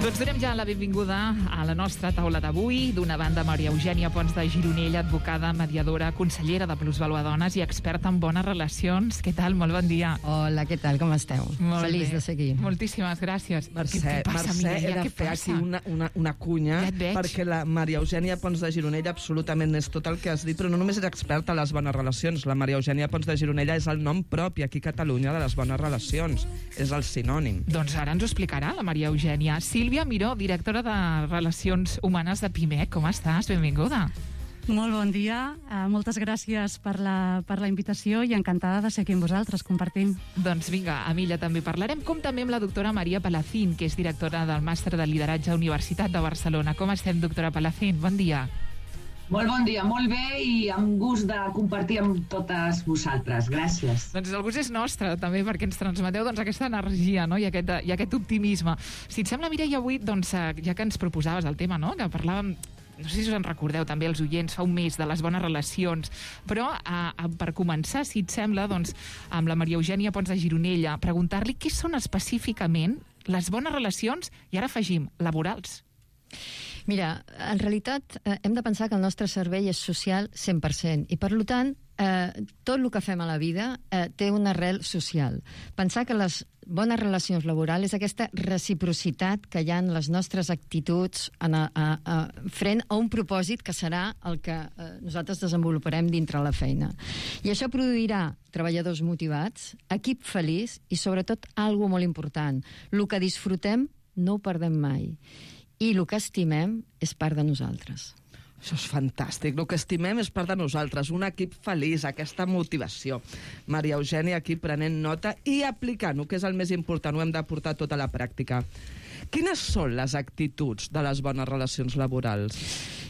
Doncs donem ja la benvinguda a la nostra taula d'avui. D'una banda, Maria Eugènia Pons de Gironella, advocada, mediadora, consellera de Plusvalua Dones i experta en bones relacions. Què tal? Molt bon dia. Hola, què tal? Com esteu? Molt Feliç bé. de ser aquí. Moltíssimes gràcies. Mercè, què, què passa, Mercè, Mireia? he de Què fer passa? aquí una, una, una cunya, Ja et perquè la Maria Eugènia Pons de Gironella absolutament és tot el que has dit, però no només és experta en les bones relacions. La Maria Eugènia Pons de Gironella és el nom propi aquí a Catalunya de les bones relacions. És el sinònim. Doncs ara ens ho explicarà la Maria Eugènia. Sílvia Miró, directora de Relacions Humanes de Pimec. Com estàs? Benvinguda. Molt bon dia, uh, moltes gràcies per la, per la invitació i encantada de ser aquí amb vosaltres, compartint. Doncs vinga, amb ella també parlarem, com també amb la doctora Maria Palacín, que és directora del Màster de Lideratge Universitat de Barcelona. Com estem, doctora Palacín? Bon dia. Molt bon dia, molt bé i amb gust de compartir amb totes vosaltres. Gràcies. Doncs el gust és nostre, també, perquè ens transmeteu doncs, aquesta energia, no? I, aquest, i aquest optimisme. Si et sembla, Mireia, avui, doncs, ja que ens proposaves el tema, no? Que parlàvem, no sé si us en recordeu també els oients, fa un mes, de les bones relacions, però a, a, per començar, si et sembla, doncs, amb la Maria Eugènia Pons de Gironella, preguntar-li què són específicament les bones relacions, i ara afegim, laborals. Mira, en realitat eh, hem de pensar que el nostre cervell és social cent per cent i, per tant, eh, tot el que fem a la vida eh, té una arrel social. Pensar que les bones relacions laborals és aquesta reciprocitat que hi ha en les nostres actituds en a, a, a, frent a un propòsit que serà el que eh, nosaltres desenvoluparem dintre la feina. I això produirà treballadors motivats, equip feliç i, sobretot, algo molt important. El que disfrutem no ho perdem mai. I el que estimem és part de nosaltres. Això és fantàstic. El que estimem és part de nosaltres. Un equip feliç, aquesta motivació. Maria Eugènia aquí prenent nota i aplicant-ho, que és el més important. Ho hem de portar tot a la pràctica. Quines són les actituds de les bones relacions laborals?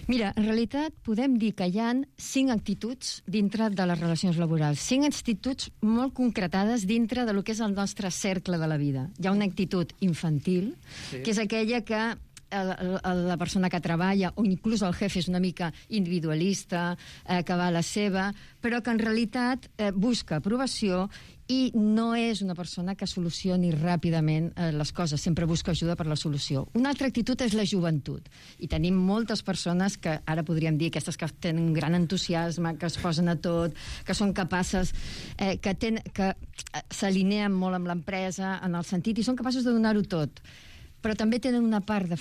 Mira, en realitat podem dir que hi ha cinc actituds dintre de les relacions laborals. Cinc actituds molt concretades dintre de lo que és el nostre cercle de la vida. Hi ha una actitud infantil, sí, que és aquella que La, la persona que treballa o inclús el jefe és una mica individualista, eh, que va a la seva, però que en realitat eh, busca aprovació i no és una persona que solucioni ràpidament eh, les coses, sempre busca ajuda per la solució. Una altra actitud és la joventut, i tenim moltes persones que ara podríem dir aquestes que tenen un gran entusiasme, que es posen a tot, que són capaces, eh, que, ten, que s'alineen molt amb l'empresa en el sentit i són capaços de donar-ho tot, però també tenen una part de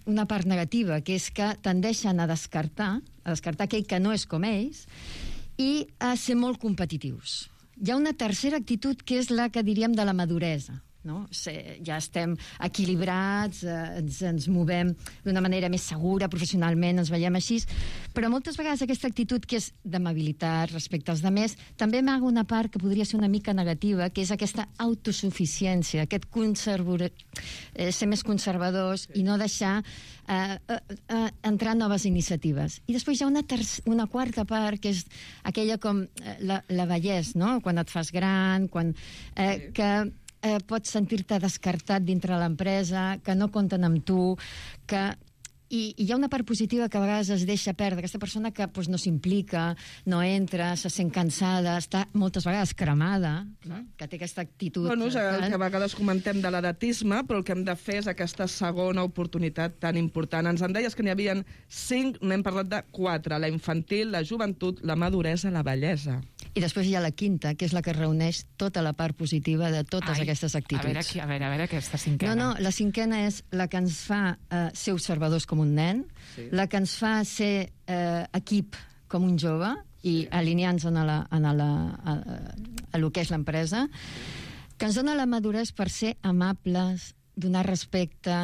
una part negativa, que és que tendeixen a descartar, a descartar aquell que no és com ells i a ser molt competitius. Hi ha una tercera actitud que és la que diríem de la maduresa, no? Ja estem equilibrats, eh, ens, ens movem d'una manera més segura, professionalment ens veiem així, però moltes vegades aquesta actitud que és d'amabilitat respecte als demés també amaga una part que podria ser una mica negativa, que és aquesta autosuficiència, aquest conservor... eh, ser més conservadors i no deixar eh, eh, eh, entrar noves iniciatives. I després hi ha una, una quarta part, que és aquella com eh, la, la vellesa, no? Quan et fas gran, quan, eh, que eh, pots sentir-te descartat dintre l'empresa, que no compten amb tu, que... I, I hi ha una part positiva que a vegades es deixa perdre, aquesta persona que pues, no s'implica, no entra, se sent cansada, està moltes vegades cremada, no? Que té aquesta actitud... Bueno, és el que a vegades comentem de l'edatisme, però el que hem de fer és aquesta segona oportunitat tan important. Ens en deies que n'hi havia cinc, n'hem parlat de quatre, la infantil, la joventut, la maduresa, la bellesa. I després hi ha la quinta, que és la que reuneix tota la part positiva de totes Ai, aquestes actituds. A veure, aquí, a veure, a veure aquesta cinquena. No, no, la cinquena és la que ens fa eh, ser observadors com un nen, sí, la que ens fa ser eh, equip com un jove i alinear-nos a, la, a, la, a, a lo que és l'empresa, que ens dona la maduresa per ser amables, donar respecte,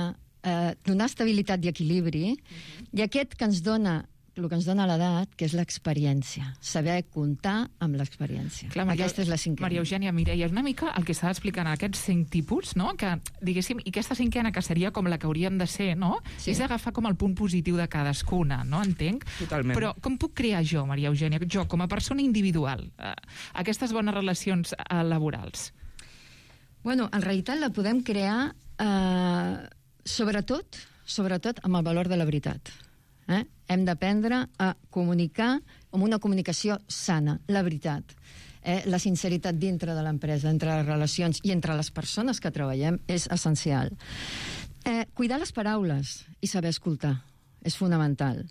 eh, donar estabilitat i equilibri, uh-huh, i aquest que ens dona el que ens dona l'edat, que és l'experiència. Saber comptar amb l'experiència. Aquesta és la cinquena. Maria Eugènia, Mireia, és una mica el que s'ha d'explicar en aquests cinc tipus, no? Que, diguéssim, i aquesta cinquena, que seria com la que hauríem de ser, no? Sí. És agafar com el punt positiu de cadascuna, no? Entenc? Totalment. Però com puc crear jo, Maria Eugènia, jo, com a persona individual, eh, aquestes bones relacions eh, laborals? Bueno, en realitat la podem crear eh, sobretot, sobretot amb el valor de la veritat. Eh? Hem d'aprendre a comunicar amb una comunicació sana, la veritat. Eh? La sinceritat dintre de l'empresa, entre les relacions i entre les persones que treballem és essencial. Eh, cuidar les paraules i saber escoltar és fonamental.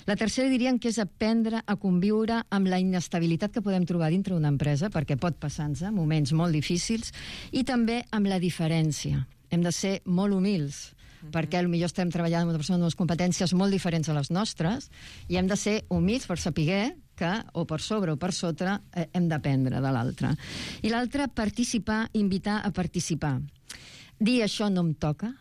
La tercera diríem que és aprendre a conviure amb la inestabilitat que podem trobar dintre d'una empresa, perquè pot passar-nos moments molt difícils, i també amb la diferència. Hem de ser molt humils, perquè potser estem treballant amb una persona amb unes competències molt diferents a les nostres, i hem de ser humils per saber que, o per sobre o per sota, eh, hem d'aprendre de l'altre. I l'altre, participar, invitar a participar. Dir això no em toca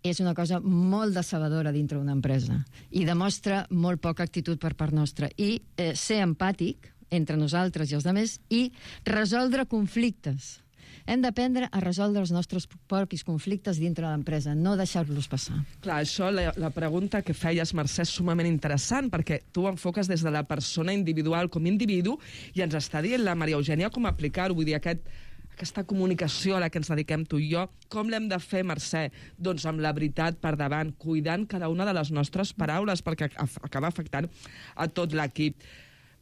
és una cosa molt decebedora dintre d'una empresa i demostra molt poca actitud per part nostra. I eh, ser empàtic entre nosaltres i els altres i resoldre conflictes. Hem d'aprendre a resoldre els nostres propis conflictes dintre de l'empresa, no deixar-los passar. Clar, això, la, la pregunta que feies, Mercè, és sumament interessant, perquè tu enfoques des de la persona individual com individu i ens està dient la Maria Eugènia com aplicar-ho. Vull dir, aquest, aquesta comunicació a la que ens dediquem tu i jo, com l'hem de fer, Mercè? Doncs amb la veritat per davant, cuidant cada una de les nostres paraules, perquè acaba afectant a tot l'equip.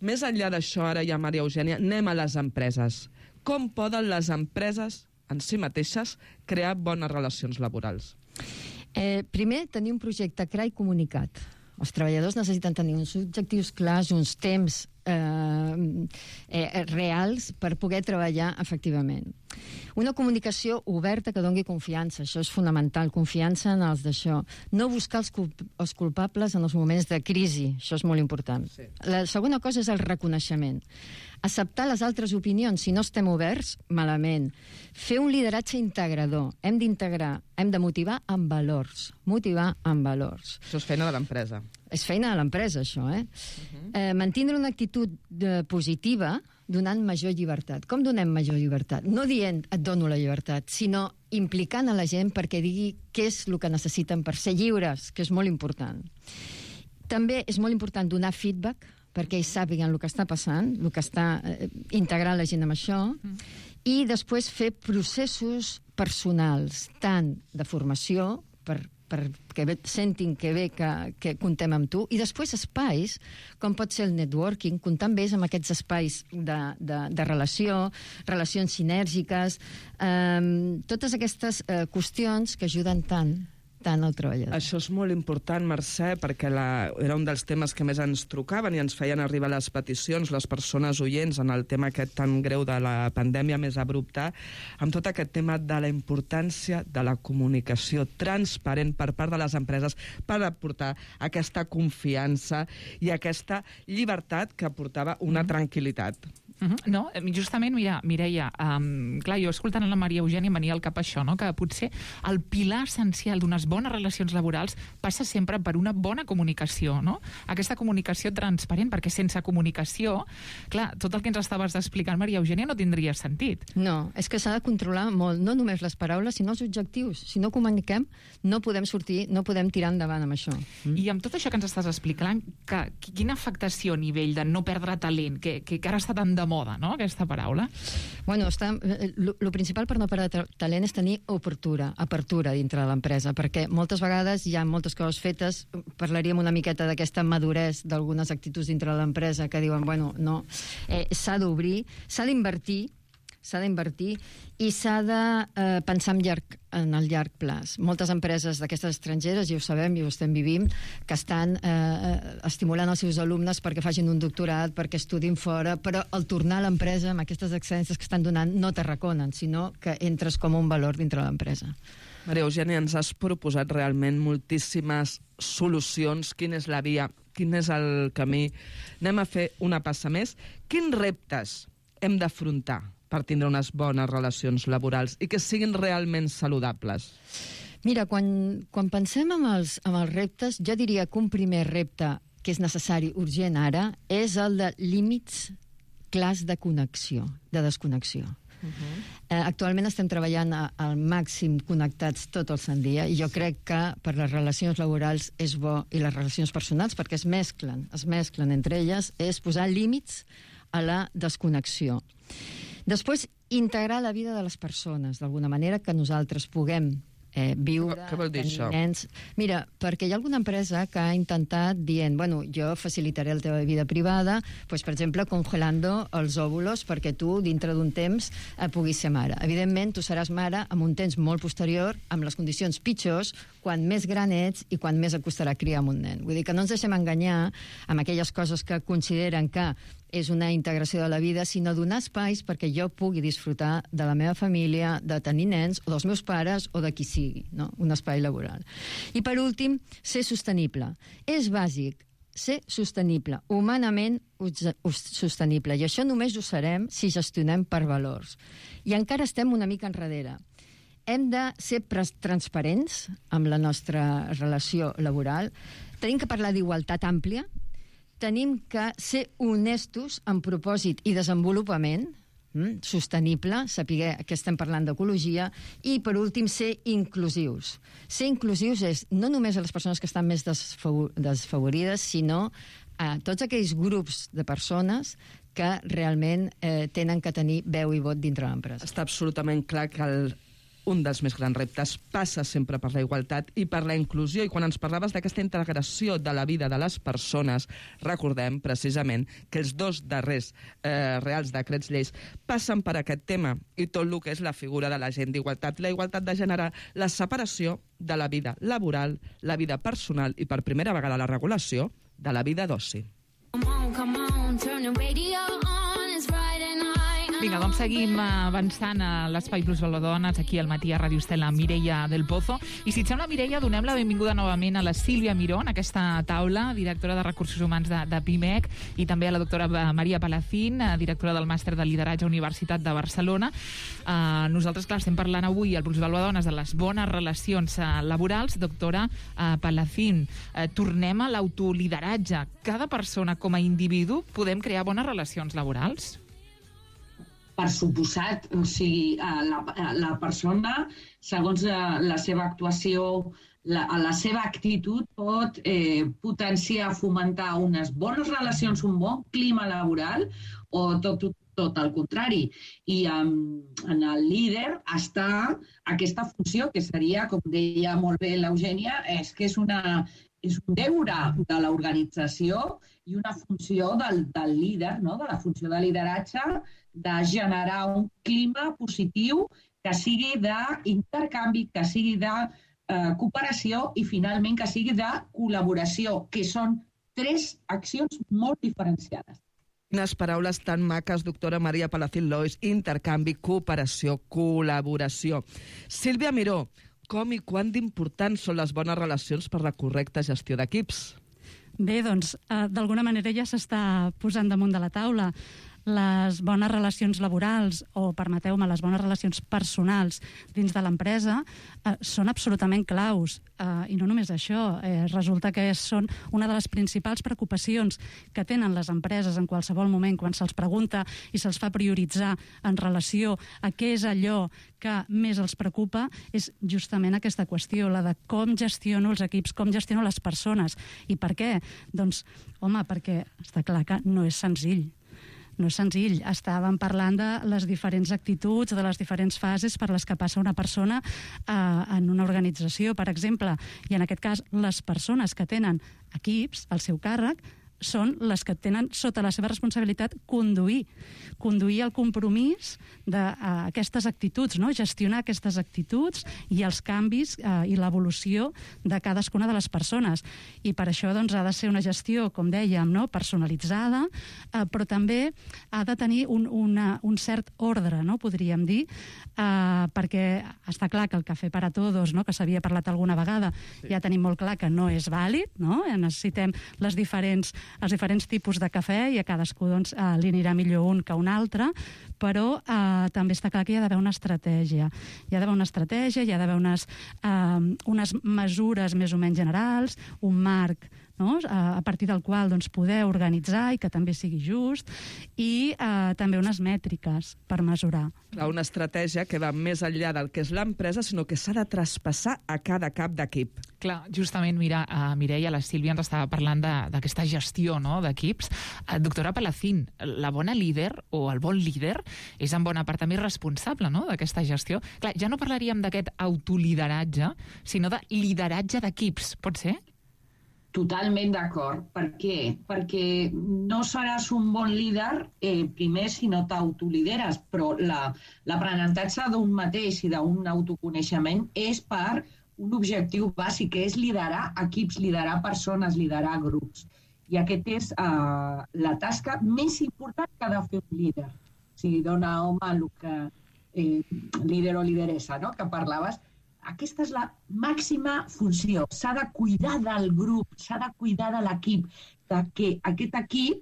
Més enllà d'això, ara ja, Maria Eugènia, anem a les empreses. Com poden les empreses en si mateixes crear bones relacions laborals? Eh, primer, tenir un projecte clar i comunicat. Els treballadors necessiten tenir uns objectius clars, uns temps eh, eh, reals per poder treballar efectivament. Una comunicació oberta que doni confiança, això és fonamental, confiança en els d'això. No buscar els, culp els culpables en els moments de crisi, això és molt important. Sí. La segona cosa és el reconeixement. Acceptar les altres opinions, si no estem oberts, malament. Fer un lideratge integrador. Hem d'integrar, hem de motivar amb valors. Motivar amb valors. Això és feina de l'empresa. És feina de l'empresa, això, eh? Uh-huh. eh mantindre una actitud de, positiva donant major llibertat. Com donem major llibertat? No dient et dono la llibertat, sinó implicant a la gent perquè digui què és el que necessiten per ser lliures, que és molt important. També és molt important donar feedback, perquè ells sàpiguen el que està passant, el que està eh, integrant la gent amb això, mm. i després fer processos personals, tant de formació, per, perquè sentin que bé que, que comptem amb tu, i després espais, com pot ser el networking, comptar amb ells amb aquests espais de, de, de relació, relacions sinèrgiques, eh, totes aquestes eh, qüestions que ajuden tant tant el treballador. Això és molt important, Mercè, perquè la, era un dels temes que més ens trucaven i ens feien arribar les peticions, les persones oients, en el tema aquest tan greu de la pandèmia més abrupta, amb tot aquest tema de la importància de la comunicació transparent per part de les empreses per aportar aquesta confiança i aquesta llibertat que aportava una tranquil·litat. Uh-huh. No, justament, mira, Mireia, um, clar, jo escoltant la Maria Eugènia em venia al cap això, no? Que potser el pilar essencial d'unes bones relacions laborals passa sempre per una bona comunicació, no? Aquesta comunicació transparent, perquè sense comunicació, clar, tot el que ens estaves explicant, Maria Eugènia, no tindria sentit. No, és que s'ha de controlar molt, no només les paraules, sinó els objectius. Si no comuniquem, no podem sortir, no podem tirar endavant amb això. Mm. I amb tot això que ens estàs explicant, que, quina afectació a nivell de no perdre talent, que, que, que ara està tan de moda, no?, aquesta paraula. Bueno, està, lo, lo principal per no perdre talent és tenir obertura, apertura dintre de l'empresa, perquè moltes vegades hi ha moltes coses fetes, parlaríem una miqueta d'aquesta maduresa d'algunes actituds dintre de l'empresa que diuen, bueno, no, eh, s'ha d'obrir, s'ha d'invertir, s'ha d'invertir i s'ha de eh, pensar en, llarg, en el llarg plaç. Moltes empreses d'aquestes estrangeres, i ho sabem i ho estem vivint, que estan eh, estimulant els seus alumnes perquè facin un doctorat, perquè estudin fora, però al tornar a l'empresa amb aquestes excel·lències que estan donant no t'arraconen, sinó que entres com un valor dintre de l'empresa. Maria Eugènia, ens has proposat realment moltíssimes solucions. Quina és la via? Quin és el camí? Anem a fer una passa més. Quins reptes hem d'afrontar per tindre unes bones relacions laborals i que siguin realment saludables? Mira, quan, quan pensem en els, en els reptes, jo diria que un primer repte que és necessari, urgent ara, és el de límits clars de connexió, de desconnexió. Uh-huh. Eh, actualment estem treballant a, al màxim connectats tot el sant dia i jo crec que per les relacions laborals és bo, i les relacions personals, perquè es mesclen, es mesclen entre elles, és posar límits a la desconnexió. Després, integrar la vida de les persones, d'alguna manera que nosaltres puguem eh, viure, Què vol dir això? nens. Mira, perquè hi ha alguna empresa que ha intentat dient, bueno, jo facilitaré la teva vida privada, pues, per exemple, congelando els òvulos perquè tu, dintre d'un temps, eh, puguis ser mare. Evidentment, tu seràs mare amb un temps molt posterior, amb les condicions pitjors, quan més gran ets i quan més et costarà criar amb un nen. Vull dir que no ens deixem enganyar amb aquelles coses que consideren que és una integració de la vida, sinó donar espais perquè jo pugui disfrutar de la meva família, de tenir nens, o dels meus pares, o de qui sigui, no? Un espai laboral. I per últim, ser sostenible. És bàsic, ser sostenible, humanament sostenible, i això només ho serem si gestionem per valors. I encara estem una mica enrere. Hem de ser transparents amb la nostra relació laboral, tenim que parlar d'igualtat àmplia, tenim que ser honestos en propòsit i desenvolupament, mm, sostenible, saber que estem parlant d'ecologia, i, per últim, ser inclusius. Ser inclusius és no només a les persones que estan més desfavorides, sinó a tots aquells grups de persones que realment eh, tenen que tenir veu i vot dintre l'empresa. Està absolutament clar que el un dels més grans reptes passa sempre per la igualtat i per la inclusió. I quan ens parlaves d'aquesta integració de la vida de les persones, recordem precisament que els dos darrers eh, reals decrets lleis passen per aquest tema i tot el que és la figura de l'agent d'igualtat. La igualtat de gènere, la separació de la vida laboral, la vida personal i per primera vegada la regulació de la vida d'oci. Vinga, doncs seguim avançant a l'Espai Plus Valdones, aquí al matí a Ràdio Estel, amb Mireia del Pozo. I si et sembla, Mireia, donem la benvinguda novament a la Sílvia Miró en aquesta taula, directora de Recursos Humans de, de PIMEC, i també a la doctora Maria Palacín, directora del Màster de Lideratge Universitat de Barcelona. Uh, nosaltres, clar, estem parlant avui al Plus Valdones de les bones relacions uh, laborals. Doctora uh, Palacín, uh, tornem a l'autolideratge. Cada persona com a individu podem crear bones relacions laborals? Per suposat, o sigui, la, la persona, segons la, la seva actuació, la, la seva actitud, pot eh, potenciar, fomentar unes bones relacions, un bon clima laboral, o tot, tot, tot el contrari. I um, en el líder està aquesta funció, que seria, com deia molt bé l'Eugènia, és que és una... és un deure de l'organització i una funció del, del líder, no? De la funció de lideratge, de generar un clima positiu que sigui d'intercanvi, que sigui de eh, cooperació i, finalment, que sigui de col·laboració, que són tres accions molt diferenciades. Quines paraules tan maques, doctora Maria Palacín Lois. Intercanvi, cooperació, col·laboració. Sílvia Miró, com i quan d'importants són les bones relacions per la correcta gestió d'equips? Bé, doncs, eh, d'alguna manera ja s'està posant damunt de la taula. Les bones relacions laborals, o, permeteu-me, les bones relacions personals dins de l'empresa eh, són absolutament claus. Eh, I no només això, eh, resulta que són una de les principals preocupacions que tenen les empreses en qualsevol moment quan se'ls pregunta i se'ls fa prioritzar en relació a què és allò que més els preocupa, és justament aquesta qüestió, la de com gestiono els equips, com gestiono les persones. I per què? Doncs, home, perquè està clar que no és senzill. No és senzill. Estàvem parlant de les diferents actituds, de les diferents fases per les que passa una persona eh, en una organització, per exemple. I en aquest cas, les persones que tenen equips al seu càrrec són les que tenen sota la seva responsabilitat conduir, conduir el compromís d'aquestes actituds, no? Gestionar aquestes actituds i els canvis eh, i l'evolució de cadascuna de les persones. I per això doncs, ha de ser una gestió, com dèiem, no? Personalitzada, eh, però també ha de tenir un, una, un cert ordre, no? Podríem dir, eh, perquè està clar que el cafè per a tots, no? Que s'havia parlat alguna vegada, sí. Ja tenim molt clar que no és vàlid, no? Necessitem les diferents els diferents tipus de cafè i a cadascú doncs, eh, li anirà millor un que un altre, però eh, també està clar que hi ha d'haver una estratègia. Hi ha d'haver una estratègia, hi ha d'haver unes, eh, unes mesures més o menys generals, un marc no? a partir del qual doncs, poder organitzar i que també sigui just, i eh, també unes mètriques per mesurar. Clar, una estratègia que va més enllà del que és l'empresa, sinó que s'ha de traspassar a cada cap d'equip. Clar, justament, mira, uh, Mireia, la Sílvia ens estava parlant d'aquesta gestió, no?, d'equips. Uh, doctora Palacín, la bona líder o el bon líder és en bona part també responsable, no?, d'aquesta gestió. Clar, ja no parlaríem d'aquest autolideratge, sinó de lideratge d'equips, pot ser? Totalment d'acord. Per què? Perquè no seràs un bon líder eh, primer si no t'autolideres, però l'aprenentatge la, d'un mateix i d'un autoconeixement és per un objectiu bàsic, que és liderar equips, liderar persones, liderar grups. I aquest és eh, la tasca més important que ha de fer un líder. Si dona home el que eh, líder o lideressa, no?, que parlaves. Aquesta és la màxima funció. S'ha de cuidar del grup, s'ha de cuidar de l'equip, que aquest equip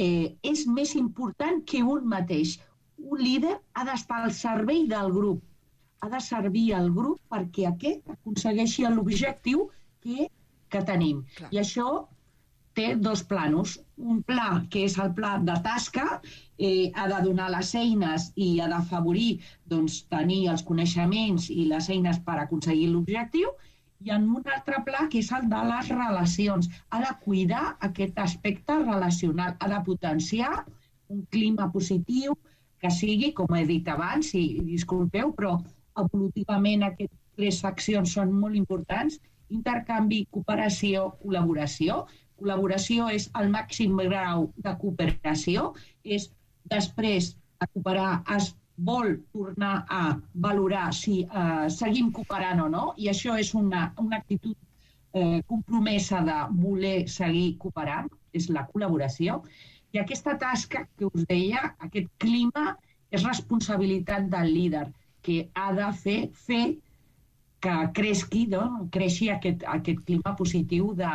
eh, és més important que un mateix. Un líder ha d'estar al servei del grup, ha de servir al grup perquè aquest aconsegueixi l'objectiu que, que tenim. Clar. I això té dos planos. Un pla, que és el pla de tasca, eh, ha de donar les eines i ha d'afavorir doncs, tenir els coneixements i les eines per aconseguir l'objectiu, i en un altre pla, que és el de les relacions. Ha de cuidar aquest aspecte relacional, ha de potenciar un clima positiu que sigui, com he dit abans, i disculpeu, però evolutivament aquestes tres accions són molt importants: intercanvi, cooperació, col·laboració. Col·laboració és el màxim grau de cooperació, és després de cooperar es vol tornar a valorar si eh, seguim cooperant o no, i això és una, una actitud eh, compromesa de voler seguir cooperant, és la col·laboració. I aquesta tasca que us deia, aquest clima, és responsabilitat del líder, que ha de fer, fer que creixi, no? creixi aquest, aquest clima positiu de,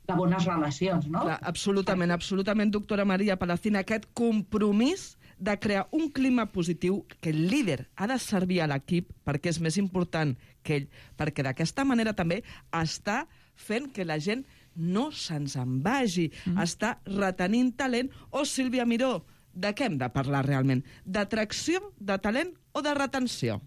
de bones relacions, no? Clar, absolutament, absolutament, doctora Maria Palacín, aquest compromís de crear un clima positiu, que el líder ha de servir a l'equip perquè és més important que ell, perquè d'aquesta manera també està fent que la gent no se'ns en vagi, mm. està retenint talent. O, Sílvia Miró, de què hem de parlar realment? D'atracció, de talent o de retenció?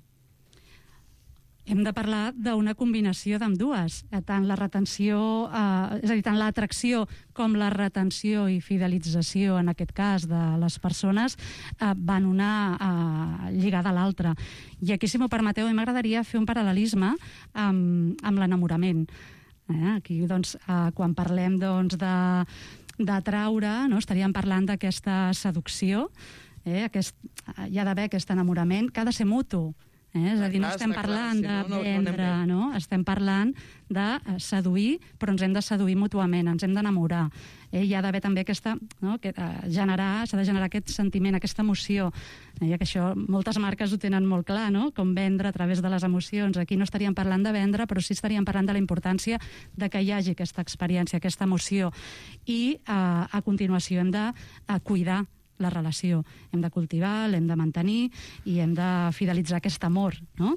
Hem de parlar d'una combinació d'ambdues, tant la retenció, eh, és a dir, tant l'atracció com la retenció i fidelització, en aquest cas, de les persones, eh, van una eh, lligada a l'altra. I aquí, si m'ho permeteu, m'agradaria fer un paral·lelisme amb, amb l'enamorament. Eh? Aquí, doncs, eh, quan parlem doncs, de d'atraure, no? Estaríem parlant d'aquesta seducció, eh? Aquest, hi ha d'haver aquest enamorament que ha de ser mutu. Eh? És a dir, no estem parlant de vendre, no? Estem parlant de seduir, però ens hem de seduir mútuament, ens hem d'enamorar. Eh? Hi ha d'haver també aquesta, no? que, uh, generar, s'ha de generar aquest sentiment, aquesta emoció. Eh? Que això moltes marques ho tenen molt clar, no? Com vendre a través de les emocions. Aquí no estaríem parlant de vendre, però sí estaríem parlant de la importància de que hi hagi aquesta experiència, aquesta emoció. I uh, a continuació hem de uh, cuidar la relació. Hem de cultivar, l'hem de mantenir i hem de fidelitzar aquest amor, no?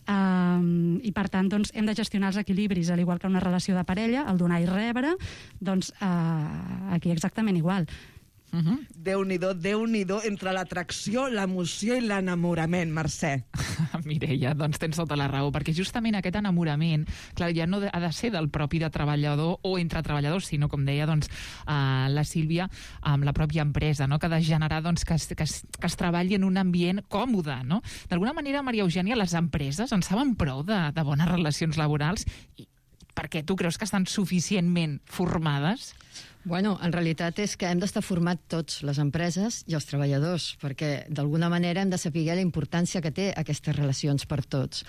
Um, I, per tant, doncs, hem de gestionar els equilibris, al igual que una relació de parella, el donar i rebre, doncs uh, aquí exactament igual. Uh-huh. Déu-n'hi-do, Déu-n'hi-do, entre l'atracció, l'emoció i l'enamorament, Mercè. Mireia, doncs tens tota la raó, perquè justament aquest enamorament, clar, ja no ha de ser del propi de treballador o entre treballadors, sinó, com deia doncs, uh, la Sílvia, amb la pròpia empresa, no? Que ha de generar doncs, que, es, que, es, que es treballi en un ambient còmode, no? D'alguna manera, Maria Eugènia, les empreses en saben prou de, de bones relacions laborals? I per què tu creus que estan suficientment formades? Bueno, en realitat és que hem d'estar formats tots, les empreses i els treballadors, perquè d'alguna manera hem de saber la importància que té aquestes relacions per tots.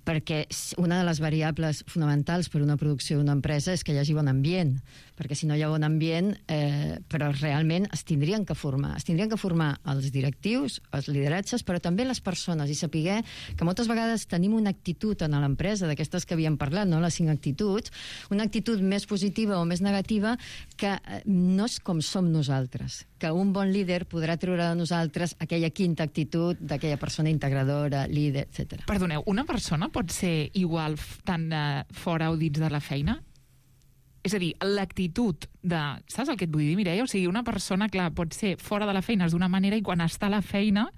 Perquè una de les variables fonamentals per una producció d'una empresa és que hi hagi bon ambient, perquè si no hi ha bon ambient, eh, però realment es tindrien que formar. Es tindrien que formar els directius, els lideratges, però també les persones, i saber que moltes vegades tenim una actitud en l'empresa, d'aquestes que havíem parlat, no? Les cinc actituds, una actitud més positiva o més negativa que no és com som nosaltres, que un bon líder podrà treure de nosaltres aquella quinta actitud d'aquella persona integradora, líder, etcètera. Perdoneu, una persona pot ser igual tant uh, fora o dins de la feina? És a dir, l'actitud de... Saps el que et vull dir, Mireia? O sigui, una persona, clar, pot ser fora de la feina d'una manera i quan està a la feina,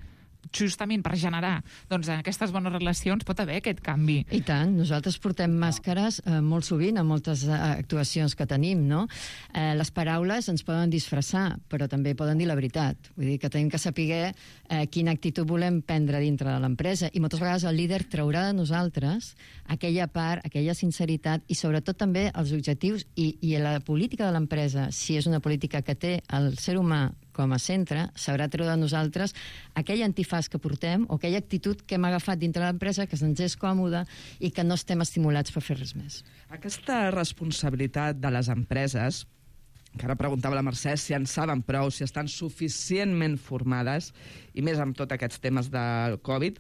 justament per generar doncs, aquestes bones relacions, pot haver aquest canvi. I tant, nosaltres portem màscares eh, molt sovint a moltes eh, actuacions que tenim, no? Eh, les paraules ens poden disfressar, però també poden dir la veritat. Vull dir que tenim que saber eh, quina actitud volem prendre dintre de l'empresa i moltes vegades el líder traurà de nosaltres aquella part, aquella sinceritat i sobretot també els objectius i, i la política de l'empresa, si és una política que té el ser humà com a centre, sabrà treure de nosaltres aquell antifàs que portem o aquella actitud que hem agafat dintre de l'empresa que ens és còmoda i que no estem estimulats per fer res més. Aquesta responsabilitat de les empreses, que ara preguntava la Mercè si en saben prou, si estan suficientment formades, i més amb tots aquests temes del Covid,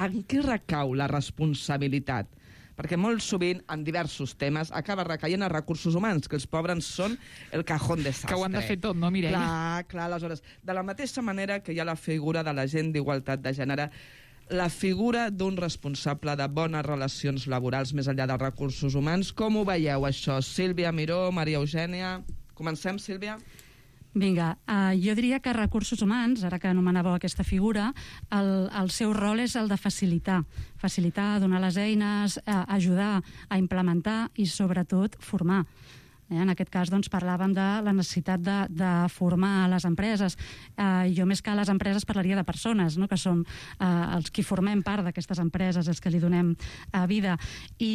en què recau la responsabilitat? Perquè molt sovint, en diversos temes, acaba recaient a recursos humans, que els pobres són el cajón desastre. Que ho han de fer tot, no, Mireia? Clar, clar, aleshores, de la mateixa manera que hi ha la figura de l'agent d'igualtat de gènere, la figura d'un responsable de bones relacions laborals més enllà dels recursos humans, com ho veieu, això? Sílvia Miró, Maria Eugènia... Comencem, Sílvia? Vinga, uh, jo diria que recursos humans, ara que anomenàveu aquesta figura, el, el seu rol és el de facilitar. Facilitar, donar les eines, uh, ajudar a implementar i, sobretot, formar. Eh, en aquest cas, doncs, parlàvem de la necessitat de, de formar les empreses. Eh, jo, més que a les empreses, parlaria de persones, no?, que som eh, els qui formem part d'aquestes empreses, els que li donem eh, vida. I,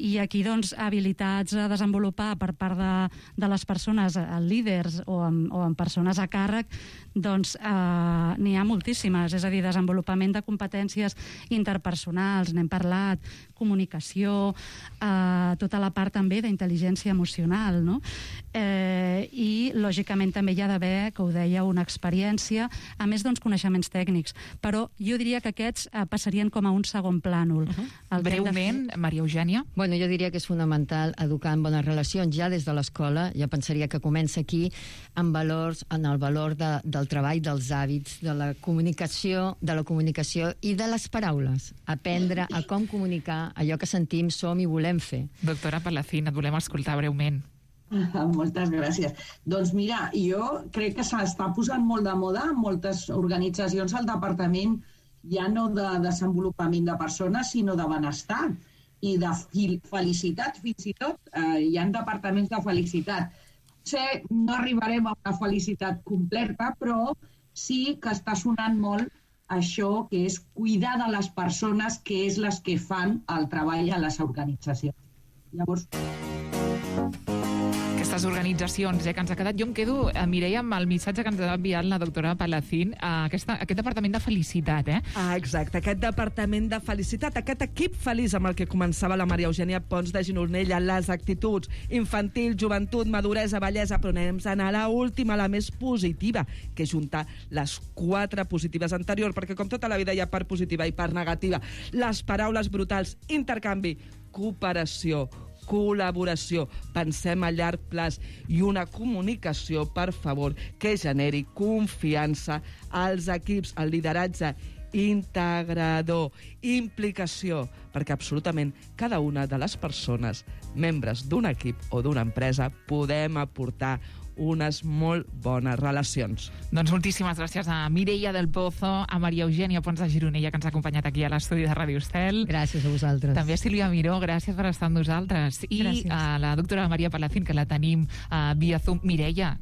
I aquí, doncs, habilitats a desenvolupar per part de, de les persones, eh, líders o amb, o amb persones a càrrec, doncs eh, n'hi ha moltíssimes. És a dir, desenvolupament de competències interpersonals, n'hem parlat, comunicació, eh, tota la part també d'intel·ligència emocional, no? Eh, i lògicament també hi ha d'haver, que ho deia, una experiència, a més d'uns coneixements tècnics, però jo diria que aquests eh, passarien com a un segon plànol. Uh -huh. Breument, fer... Maria Eugènia? Bueno, jo diria que és fonamental educar en bones relacions ja des de l'escola. Jo pensaria que comença aquí en valors, en el valor de, del treball, dels hàbits, de la comunicació, de la comunicació i de les paraules. Aprendre a com comunicar allò que sentim, som i volem fer. Doctora Palacín, et volem escoltar breument. Moltes gràcies. Doncs mira, jo crec que s'està posant molt de moda en moltes organitzacions al departament, ja no de desenvolupament de persones, sinó de benestar i de felicitat, fins i tot. Eh, hi ha departaments de felicitat. Potser no arribarem a una felicitat completa, però sí que està sonant molt això que és cuidar de les persones, que és les que fan el treball a les organitzacions. Llavors... Aquestes organitzacions eh, que ens ha quedat... Jo em quedo, eh, Mireia, amb el missatge que ens ha enviat la doctora Palacín, a aquesta, aquest departament de felicitat, eh? Ah, exacte, aquest departament de felicitat, aquest equip feliç amb el que començava la Maria Eugènia Pons de Gironella, les actituds, infantil, joventut, maduresa, bellesa, però anem a anar a l'última, la més positiva, que és juntar les quatre positives anteriors, perquè com tota la vida hi ha part positiva i part negativa. Les paraules brutals, intercanvi, cooperació, col·laboració, pensem a llarg plaç i una comunicació, per favor, que generi confiança als equips, el lideratge integrador, implicació, perquè absolutament cada una de les persones, membres d'un equip o d'una empresa, podem aportar unes molt bones relacions. Doncs moltíssimes gràcies a Mireia del Pozo, a Maria Eugènia Pons de Gironella, que ens ha acompanyat aquí a l'estudi de Ràdio Estel. Gràcies a vosaltres. També a Sílvia Miró, gràcies per estar amb nosaltres. I gràcies. A la doctora Maria Palacín, que la tenim uh, via Zoom. Mireia.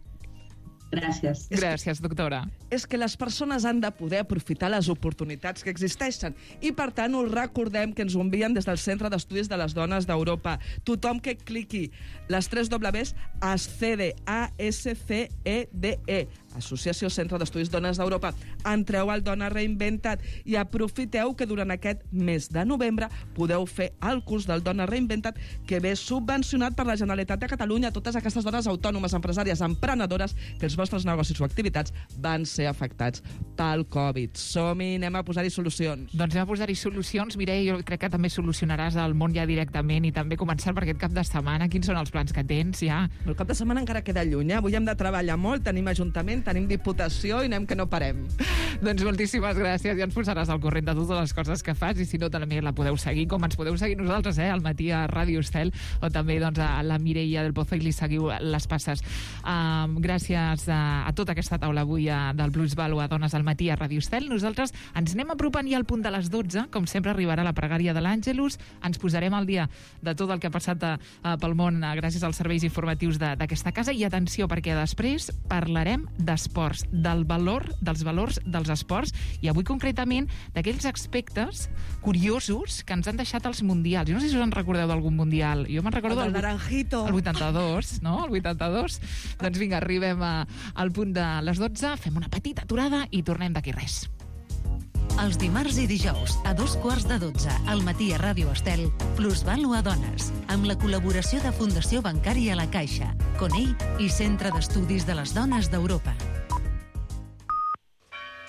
Gràcies. Gràcies, doctora. És que les persones han de poder aprofitar les oportunitats que existeixen i, per tant, us recordem que ens ho envien des del Centre d'Estudis de les Dones d'Europa. Tothom que cliqui les tres dobles a S C D E, A S C E D E, Associació Centre d'Estudis Dones d'Europa. Entreu al Dona Reinventat i aprofiteu que durant aquest mes de novembre podeu fer el curs del Dona Reinventat, que ve subvencionat per la Generalitat de Catalunya a totes aquestes dones autònomes, empresàries, emprenedores, que els vostres negocis o activitats van ser afectats pel Covid. Som-hi, anem a posar-hi solucions. Doncs anem a posar-hi solucions. Mireia, jo crec que també solucionaràs el món ja directament i també començar per aquest cap de setmana. Quins són els plans que tens ja? El cap de setmana encara queda lluny, eh? Avui hem de treballar molt, tenim ajuntament, tenim diputació i anem que no parem. Doncs moltíssimes gràcies, ja ens posaràs al corrent de totes les coses que fas, i si no també la podeu seguir, com ens podeu seguir nosaltres, eh, al matí a Ràdio Estel, o també doncs, a la Mireia del Pozo, i li seguiu les passes. Um, gràcies a, a tota aquesta taula avui a, del Plus Valo a Dones al matí a Ràdio Estel. Nosaltres ens anem apropant ja al punt de les dotze, com sempre arribarà la pregària de l'Àngelus, ens posarem al dia de tot el que ha passat a, a, pel món a, gràcies als serveis informatius d'aquesta casa, i atenció, perquè després parlarem d'esports, del valor, dels valors dels esports, i avui concretament d'aquells aspectes curiosos que ens han deixat els mundials. Jo no sé si us en recordeu d'algun mundial. Jo me'n recordo El del Naranjito. el vuitanta-dos, no? El vuitanta-dos. Doncs vinga, arribem a, al punt de les dotze, fem una petita aturada i tornem d'aquí res. Els dimarts i dijous, a dos quarts de dotze, al matí a Ràdio Estel, Plus Valo a Dones, amb la col·laboració de Fundació Bancària La Caixa, Conell i Centre d'Estudis de les Dones d'Europa.